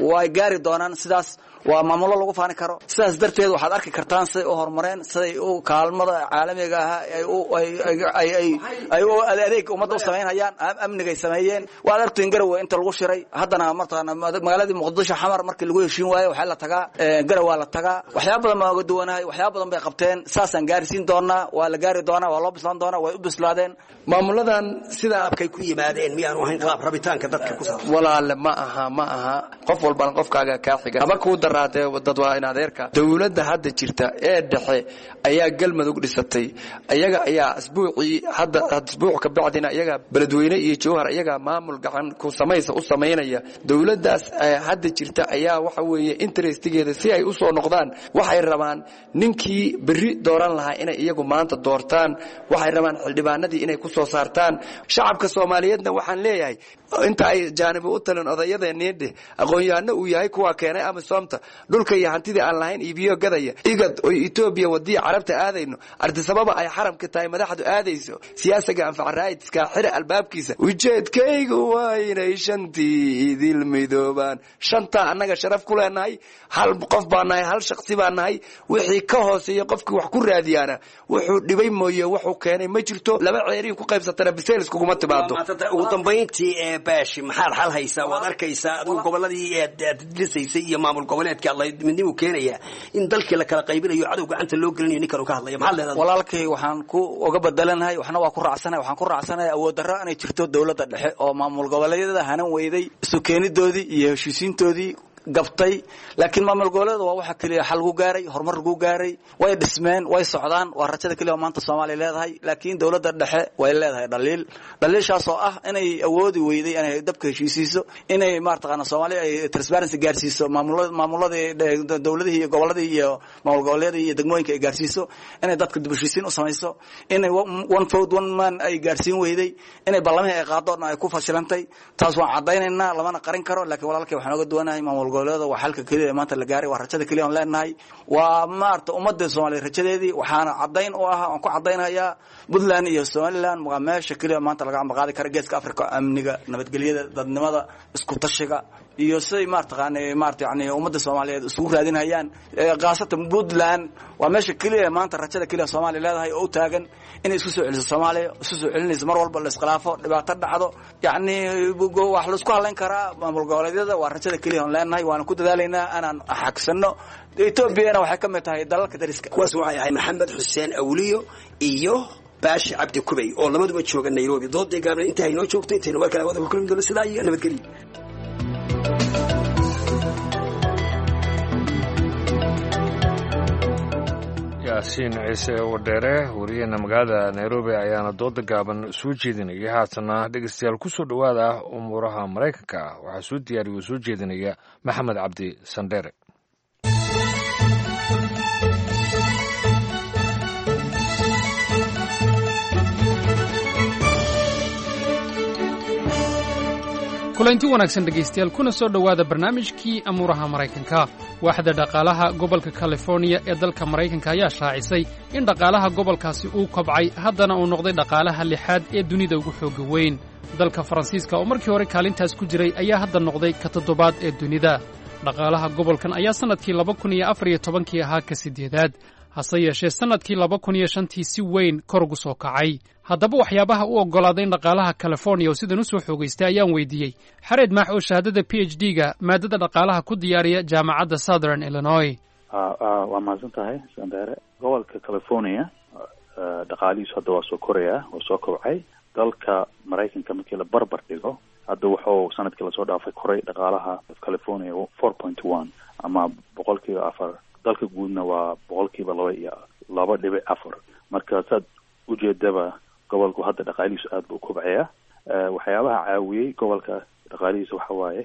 way gaari doonaan. Sidaas waa maamulo lagu faani karo. Sidaas darteed waxaad arki kartaan siday u horumareen, siday u kaalmada caalamiga ah ay u ay ay ay u adeeg ummadda u samaynayaan, amnigay sameeyeen. Waad aragteen Garowe inta lagu shiray, haddana martaana magaaladii Muqdisho Xamar markii lagu heshiin waayo waxaa la tagaa Garowe, waa la tagaa. Waxyaabo badan baan uga duwanahay, waxyaabo badan bay qabteen, saasaan gaarsiin doonaa, waa la gaari doonaa, waa loo bislaan doonaa, way u bislaadeen. Maamuladan sidaa abkay ku yimaadeen miyaanu ahayn qaab rabitaanka dadka ku saabsan? Walaale, ma aha, ma aha. Qof walbana qofkaaga kaa xiga haba kuu daraatee dad waa in adeerka. Dowladda hadda jirta ee dhexe ayaa Galmudug dhisatay, iyaga ayaa asbuucii hadda asbuuc ka bacdina iyaga Beledweyne iyo Jowhar iyaga maamul gacan ku samaysa u samaynaya. Dowladdaas hadda jirta ayaa waxa weeye interestigeeda si ay u soo noqdaan waxay rabaan ninkii berri dooran lahaa inay iyagu maanta doortaan, waxay rabaan xildhibaanadii inay ku soo saartaan. Shacabka Soomaaliyeedna waxaan leeyahay inta ay jaanibi u talin odayadeenii dheh aqoon-yahano uu yahay kuwaa keenay amisomta dhulka iyo hantidii aan lahayn iibiyo gadaya igad oy Etoobiya wadii carabta aadayno ardisababa ay xaramka tahay madaxdu aadayso siyaasiga anfac raayidska xira albaabkiisa. Ujeedkaygu waa inay shantii idil midoobaan. Shantaa annaga sharaf ku leenahay, hal qof baa nahay, hal shaksi baa nahay. Wixii ka hooseeya qofkii wax ku raadiyaana wuxuu dhibay mooye wuxuu keenay ma jirto. Laba ceeriin ku qaybsatana bisayl iskuguma timaado. Ugu dambayntii ee Baashi, maxaad xal haysaa? Waad arkaysaa adigu gobolladii aad dhisaysay iyo maamul goboleedka midnimuu keenaya in dalkii la kala qaybinayo, cadow gacanta loo gelinayo, ninkan uu ka hadlaya, maxaad leedahay? Walaalkay, waxaan ku uga bedelanahay waxna waa ku raacsanahay. Waxaan ku raacsanahay awood darro inay jirto dowladda dhexe oo maamul goboleedyada hanan weyday, isu keenidoodii iyo heshiisiintoodii gabtay. Laakiin maamul goboleeda waa waxa keliya xal lagu gaaray, horumar lagu gaaray, way dhismeen, way socdaan, waa rajada keliya oo maanta Soomaaliya leedahay. Laakiin dowladda dhexe way leedahay dhaliil, dhaliishaas oo ah inay awoodi weyday inay dabka heshiisiiso, inay maartaqaana Soomaaliya ay transparency gaarsiiso, maamulada maamuladii dowladihii iyo goboladii iyo maamul goboleedyadii iyo degmooyinka ay gaarsiiso, inay dadka dib u heshiisiin u samayso, inay one vote one man ay gaarsiin weyday, inay ballamihii ay qaado ay ku fashilantay. Taas waan caddaynaynaa, lamana qarin karo. Laakiin walaalkay waxaan oga duwanahay maamul goboleeda waa xalka keliya ee maanta la gaaray, waa rajada keliya oon leenahay, waa maarata ummadda Soomaaliya rajadeedii. Waxaana caddayn u ah oon ku caddaynhayaa Puntland iyo Somaliland waa meesha keliya maanta laga ambaqaadi kara geeska Africa, amniga, nabadgelyada, dadnimada, isku tashiga iyo siday maartaqaana maarata yani ummadda Soomaaliyeed isugu raadinayaan. Khaasatan Puntland waa meesha keliya maanta rajada keliya Soomaaliya leedahay oo u taagan inay isku soo celiso Soomaaliya, isku soo celinayso mar walba la iskhilaafo, dhibaato dhacdo, yacni wax la isku hadlayn karaa maamul goboleedyada waa rajada keliya oon leenahay, waana ku dadaalaynaa inaan xagsano. Etoobiyana waxay ka mid tahay dalalka dariska. Kuwaas waxay ahay Maxamed Xuseen Awliyo iyo Baashi Cabdi Kubey oo labaduba jooga Nairobi. Doodii gaabna inta haynoo joogto, intaynu war kale wada ku kulmi doono, sidaa iyo nabadgelyo. Yaasiin Ciise Wadheere, wariyaheena magaalada Nairobi, ayaana dooda gaaban soo jeedinaya. Haatana dhegeystayaal ku soo dhowaada umuuraha Maraykanka. Waxaa soo diyaariya oo soo jeedinaya Maxamed Cabdi Sandheere. Kulanti wanaagsan dhegaystayaal, kuna soo dhowaada barnaamijkii amuuraha Maraykanka. Waaxda dhaqaalaha gobolka Californiya ee dalka Maraykanka ayaa shaacisay in dhaqaalaha gobolkaasi uu kobcay, haddana uu noqday dhaqaalaha lixaad ee dunida ugu xoogga weyn. Dalka Faransiiska oo markii hore kaalintaas ku jiray ayaa hadda noqday ka toddobaad ee dunida. Dhaqaalaha gobolkan ayaa sannadkii laba kun iyo afar iyo tobankii ahaa ka siddeedaad, hase yeeshee sannadkii laba kun iyo shantii si weyn kor ugu soo kacay. Haddaba waxyaabaha u oggolaaday in dhaqaalaha Californiya oo sidan u soo xoogaystay ayaan weydiiyey Xareed Maax oo shahaadada P H D ga maadada dhaqaalaha ku diyaariya jaamacadda Southern Illinois. Waa mahadsan tahay Sandere. Gobolka California dhaqaalihiisu hadda waa soo korayaa, waa soo kobcay. Dalka Maraykanka markii la barbar dhigo, hadda wuxuu sanadkii lasoo dhaafay koray dhaqaalaha California four point one ama boqolkiiba afar, dalka guudna waa boqolkiiba laba iyo laba dhibic afar. Marka saad ujeedaba gobolku hadda dhaqaalihiisu aad buu kobcayaa. Waxyaabaha caawiyey gobolka dhaqaalihiisa waxa waaye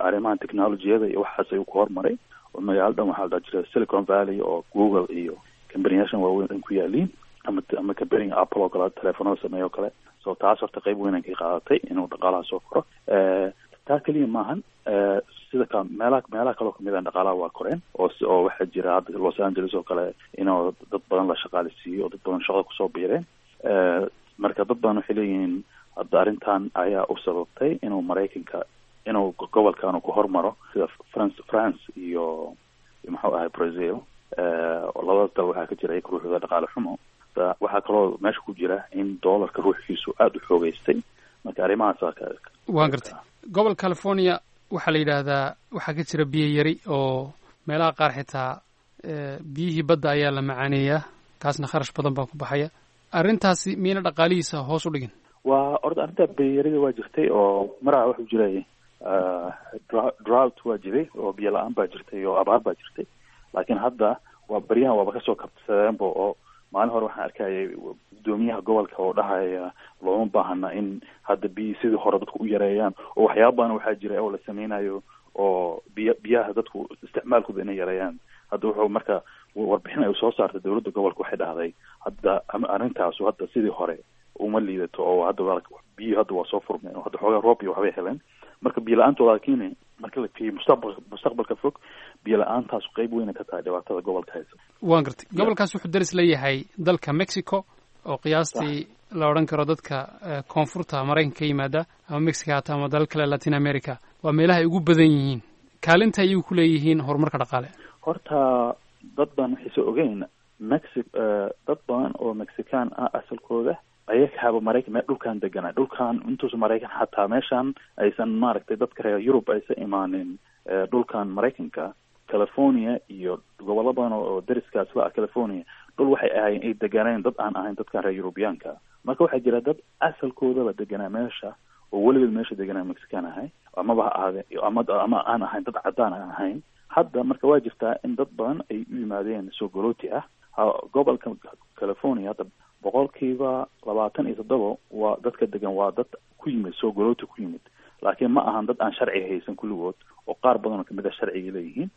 arrimahan technologiyada iyo waxaas ayuu ku hormaray, oo magaalo dhan waxaa la dhaha jira Silicon Valley oo Google iyo kambaniyashan waaweyn dhan ku yaaliin. ama ama companyga Apple oo kale telefoonada sameeya oo kale. So taas horta qayb weyn ay ka qaadatay inuu dhaqaalaha soo koro. Taa keliya maahan, sida ka meelaha meelaha kaloo kamid ah dhaqaalaha waa koreen oo oo waxaa jira hadda Los Angeles oo kale inuu dad badan la shaqaaleysiiyo oo dad badan shaqada kusoo biireen. Marka dad badan waxay leeyihiin hadda arrintan ayaa u sababtay inuu Maraykanka inuu gobolkan ku hormaro sida France France iyo muxuu ahay Brazil. Labadaas dal waxaa ka jira iyaga ruuxooda dhaqaale xumo. Waxaa kaloo meesha ku jira in doolarka ruuxiisu aada u xoogeystay. Marka arrimahaas waan gartay. Gobol California waxaa la yidhaahdaa waxaa ka jira biyo yari oo meelaha qaar xitaa biyihii badda ayaa la macaaneeyaa, kaasna kharash badan baa ku baxaya. Arrintaasi miyayna dhaqaalihiisa hoos u dhigin? Waa orda arrinta biyayarida waa jirtay oo maraa wuxuu jiray drought waa jiray oo biyo la-aan baa jirtay oo abaar baa jirtay, laakiin hadda waa baryahan waaba kasoo kabsadeenba oo maalin hore waxaan arkayay gudoomiyaha gobolka oo dhahaya looma baahana in hadda biyi sidii hore dadku u yareeyaan oo waxyaaba badan waxaa jira oo la sameynayo oo biy biyaha dadku isticmaalkooda inay yareeyaan. Hadda wuxuu marka warbixin ay soo saartay dowladda gobolka waxay dhahday hadda arrintaasu hadda sidii hore uma liidato oo hadda biyo hadda waa soo furmeen oo hadda xoogaa roob iyo waxbay heleen. Marka biyo la-aantooda laakiin marka la fiiriyo mustaqbal mustaqbalka fog biyo la-aantaas qayb weyna ka tahay dhibaatada gobolka haysa. Waan gartay. Gobolkaas wuxuu daris leeyahay dalka Mexico oo qiyaastii la odhan karo dadka koonfurta Maraykanka ka yimaada ama Mexico hata ama dalal kale Latin America waa meelaha ay ugu badan yihiin. Kaalinta ayay ku leeyihiin horumarka dhaqaale. Horta dad baan waxaysa ogeyn Mexi dad badan oo Mexican ah asalkooda ayagaaba Maraykan mee dhulkan deganaa dhulkan intuusa Maraykan xataa meeshan aysan maaragtay dadka reer Yurub aysan imaanin dhulkan Maraykanka California iyo gobollo badan oo dariskaas la ah California dhul waxay ahaayeen ay deganeen dad aan ahayn dadkan reer Yurubiyaanka. Marka waxaa jira dad asalkoodaba deganaa meesha oo weligeed meesha deganaa Mexican ahay amaba ha ahaade ama ama aan ahayn dad caddaan aan ahayn. Hadda marka waa jirtaa in dad badan ay u yimaadeen soo galooti ah gobolka California. Hadda boqolkiiba labaatan iyo toddoba waa dadka degan waa dad ku yimid soo galooti ku yimid, laakiin ma ahan dad aan sharci haysan kulligood oo qaar badan oo kamid a sharciga leeyihiin.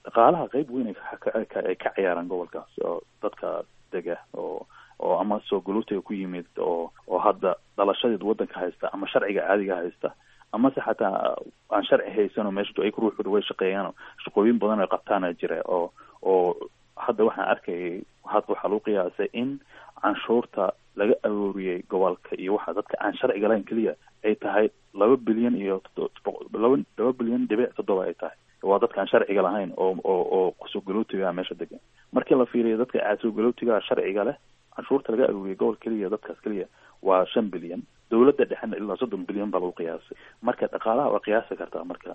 Dhaqaalaha qayb weyn ay ka ciyaaraan gobolkaas oo dadka dega oo oo ama soo galootiga ku yimid oo oo hadda dhalashadeed waddanka haysta ama sharciga caadiga haysta amase xataa aan sharci haysan oo meesha ay ku ruuxooda way shaqeeyaan shaqooyin badan ay qabtaana jira oo oo hadda waxaan arkayay hadda waxaa lagu qiyaasay in canshuurta laga arooriyey gobolka iyo waxa dadka aan sharciga lahayn keliya ay tahay laba bilyan iyo laba laba bilyan dhibic toddoba ay tahay. Waa dadka aan sharciga lahayn oo oo oo soo galootiga meesha degan. Markii la fiiriyo dadka soo galootiga sharciga leh canshuurta laga arooriyey gobol keliya dadkaas keliya waa shan bilyan, dowladda dhexena ilaa soddon bilyan baa lagu qiyaasay. Marka dhaqaalaha waa qiyaasi kartaa marka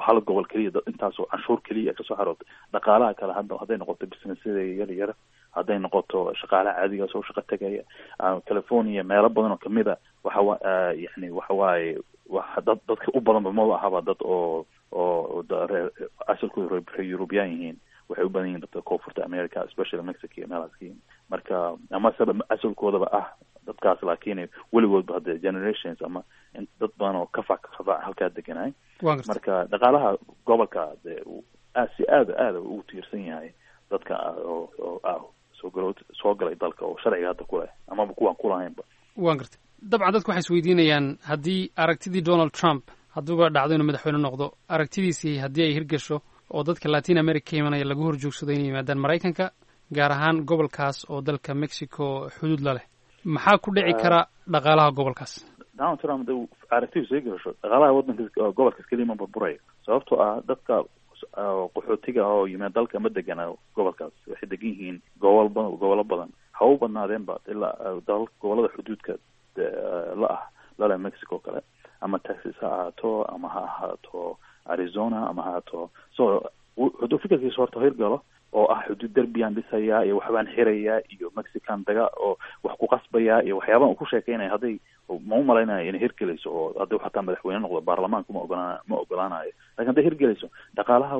hal gobol keliya intaasoo canshuur keliya kasoo xarootay. Dhaqaalaha kale hadda hadday noqoto businessyada yar yar, hadday noqoto shaqaalaha caadiga soo shaqo tegaya California meelo badan oo kamid a waxa wa yani waxa waaye wax dad dadka u badanba maba ahaba dad oo oo asalkooda reer Yurubyaan yihiin. Waxay u badan yihiin dadka koonfurta America especially Mexico iyo meelahaas ka yihiin. Marka ama saba asalkoodaba ah dadkaas laakiin weligoodba hadda generations ama dad badan oo kafac kafac halkaa deganaay. Marka dhaqaalaha gobolka de aad si aada aada ugu tiirsan yahay dadka oo oo ah soo galo soo galay dalka oo sharciga hadda ku leh amaba kuwaan kulahaynba. Waan gartay. Dabcan dadku waxay isweydiinayaan haddii aragtidii Donald Trump hadduuba dhacdo inuu madaxweyne noqdo aragtidiisii haddii ay hirgasho oo dadka Latin America ka imanaya lagu horjoogsado inay yimaadaan Maraykanka gaar ahaan gobolkaas oo dalka Mexico xuduud la leh, maxaa ku dhici kara dhaqaalaha gobolkaas? Donald Trump haduu aragtidiisu sii gasho dhaqaalaha waddanka gobolkaas keliya ma burburayo, sababtoo ah dadka qaxootiga oo yimaad dalka ma degana gobolkaas, waxay degan yihiin gobol ba gobollo badan ha u badnaadeenba ilaa dal gobollada xuduudka la ah lale Mexico kale ama Texas ha ahaato ama ha ahaato Arizona ama ha ahaato. So hadduu fikirkiisa horta hirgalo oo ah xuduud derbiyaan dhisayaa iyo waxbaan xirayaa iyo Mexican daga oo wax ku qasbayaa iyo waxyaabahan uu ku sheekeynaya hadday ma u malaynayo inay hirgelayso oo haddii xataa madaxweyne noqdo baarlamaanku ma ogolaan ma ogolaanayo. Lakin hadday hirgelayso dhaqaalaha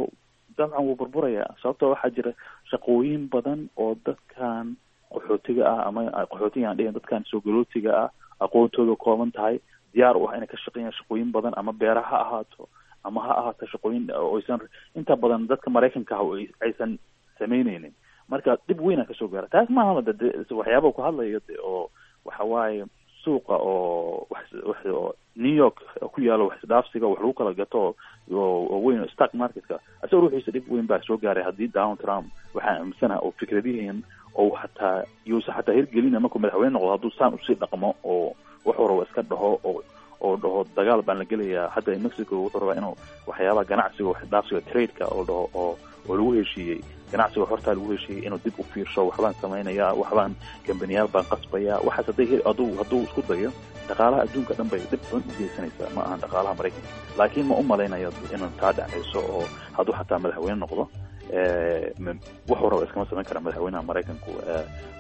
dabcan wuu burburayaa, sababtoo waxaa jira shaqooyin badan oo dadkan qaxootiga ah ama qaxootiga aan dhihin dadkan soo galootiga ah aqoontooda kooban tahay diyaar u ah inay ka shaqeeyaan shaqooyin badan ama beeraha ha ahaato ama ha ahaato shaqooyin oo aysan inta badan dadka Maraykanka ah aysan sameyneynin. Marka dhib weyna kasoo gaara taas maaha de waxyaaba ku hadlayo de oo waxa waaye suuqa oo wax wax oo New York ku yaalo wax isdhaafsiga wax lagu kala gato oo weyn oo stock marketka asagoo ruuxiisa dhib weyn baa soo gaaray haddii Donald Trump waxaan aaminsanaha oo fikradihiin oo xataa yuusa xataa hirgelina markuu madaxweyne noqdo hadduu saan usii dhaqmo oo wuxuu rabo iska dhaho oo oo dhaho dagaal baan la gelayaa hadda Mexico wuxuu rabaa inuu waxyaabaha ganacsiga wax isdhaafsiga trade-ka oo dhaho oo oo lagu heshiiyey ganacsiga hortaa lagu heshiiyey inuu dib u fiirsho waxbaan samaynayaa waxbaan kambaniyaal baan qasbayaa waxaas hadday hel hadduu hadduu isku dayo dhaqaalaha adduunka dhan bay dhib xun u geysanaysaa ma ahan dhaqaalaha Maraykanka. Laakiin ma u malaynayo inuu taa dhacayso oo hadduu xataa madaxweyne noqdo wuxuu raba iskama samayn kara madaxweynaha Maraykanku.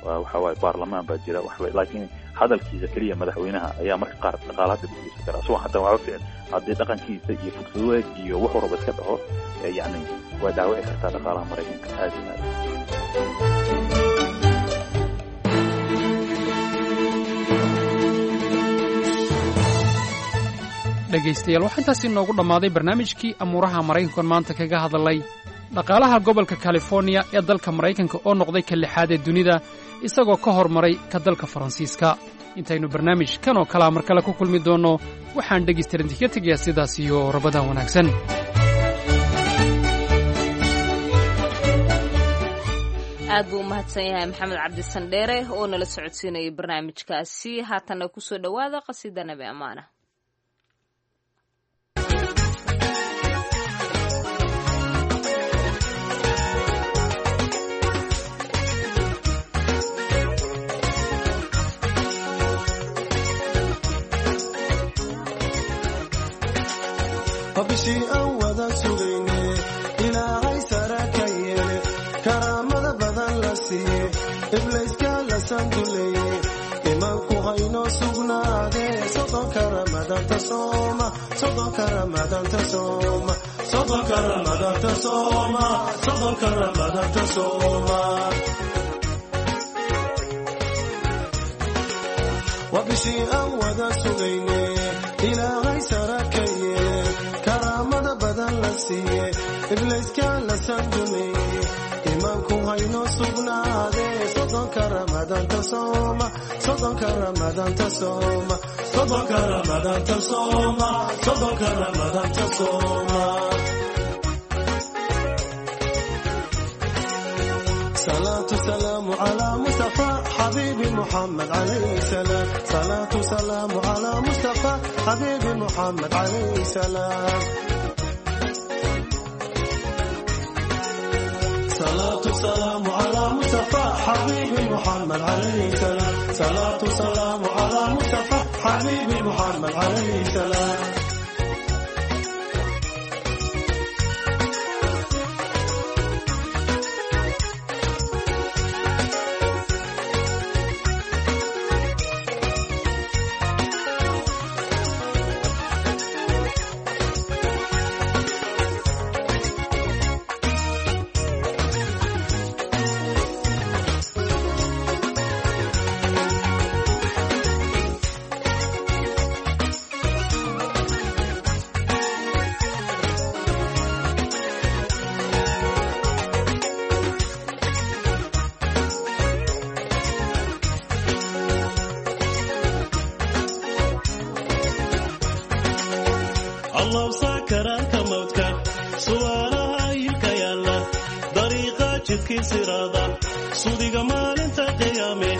Waxa waaye baarlamaan baa jira waxba, laakiin hadalkiisa keliya madaxweynaha ayaa marka qaar dhaqaalaha dib u geysan kara isagoo xataa waxba ficil haddii dhaqankiisa iyo fugsadeed iyo wuxuu raba iska dhaho yacni waa dhaawici kartaa dhaqaalaha Maraykanka aad iyo aad. Dhegaystayaal, waxaa intaasi inoogu dhammaaday barnaamijkii amuuraha Maraykankan maanta kaga hadalay dhaqaalaha gobolka Californiya ee dalka Maraykanka oo noqday ka lixaad ee dunida isagoo ka hormaray ka dalka Faransiiska. Intaynu barnaamij kan oo kalea mar kale ku kulmi doonno, waxaan dhegaystayaal idinkaga tegayaa sidaas iyo rabadan wanaagsan. Aad buu u mahadsan yahay Maxamed Cabdisandheere oo nala socodsiinayay barnaamijkaasi. Haatanna kusoo dhowaada qasiida Nabi Amaana. Bishii aan wada sugayne Ilaahay sara ka yeele karaamada badan la siiye iblayska la sanduleeye imaanku haynoo sugnaadee sodonka ramadaanta sooma sodonka ramadaanta sooma sodonka ramadaanta sooma sodonka ramadaanta sooma. Waa bishii aan wada sugayne Ilaahay sara ka yeele karaamada badan la siiye iblayska la sanduleeye imaanku haynoo sugnaadee sodonka ramadaanta sooma sodonka ramadaanta sooma sodonka ramadaanta sooma sodonka ramadaanta sooma. صلاة سلام على مصطفى حبيبي محمد عليه السلام صلاة سلام على مصطفى حبيبي محمد عليه السلام صلاة سلام على مصطفى حبيبي محمد عليه السلام صلاة سلام على مصطفى حبيبي محمد عليه السلام. Sudiga maalinta qiyaame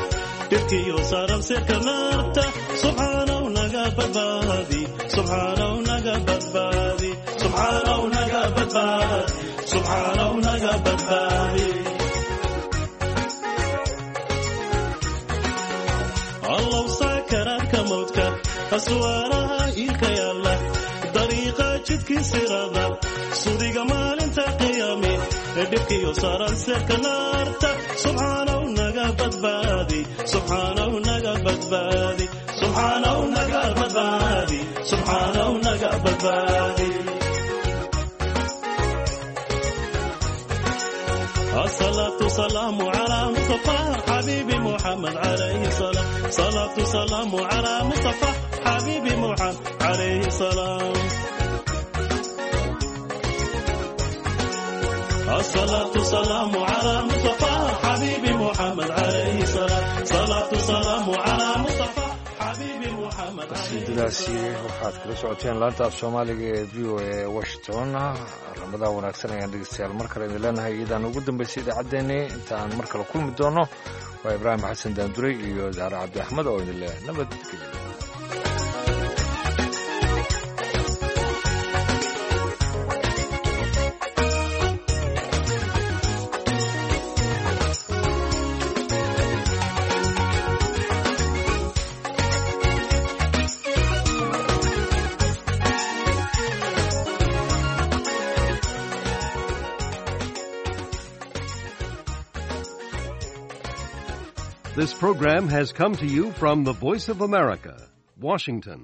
dhibkiyo saaran sirka naarta subxaanaw naga badbaadi subxaanaw naga badbaadi subxaanaw naga badbaadi subxaanaw naga badbaadi. Allow saakaraadka mawdka aswaaraha iilka yaalla dariiqa jidkii sirada sudiga maalinta qiyaame dhibkiyo saaran sirka naarta subxaanaw naga badbaadi subxaanaw naga badbaadi subxaanaw naga badbaadi subxaanaw naga badbaadi. الصلاة سلام على مصطفى حبيبي محمد عليه السلام صلاة سلام على مصطفى حبيبي محمد عليه السلام. الصلاة سلام على مصطفى حبيبي محمد عليه الصلاة صلاة سلام على مصطفى حبيبي محمد. Qasiidadaasi waxaad kala socoteen laanta af soomaaliga ee V O A Washington. Ramadan wanaagsan ayaan dhegeystayaal mar kale idin leenahay, iyadaan ugu dambaysay idaacaddeenii. Inta aan mar kale kulmi doono, waa Ibraahim Xasan Daanduray iyo Zahra Cabdi Axmed oo idin leh nabadgelyo. This program has come to you from the Voice of America, Washington.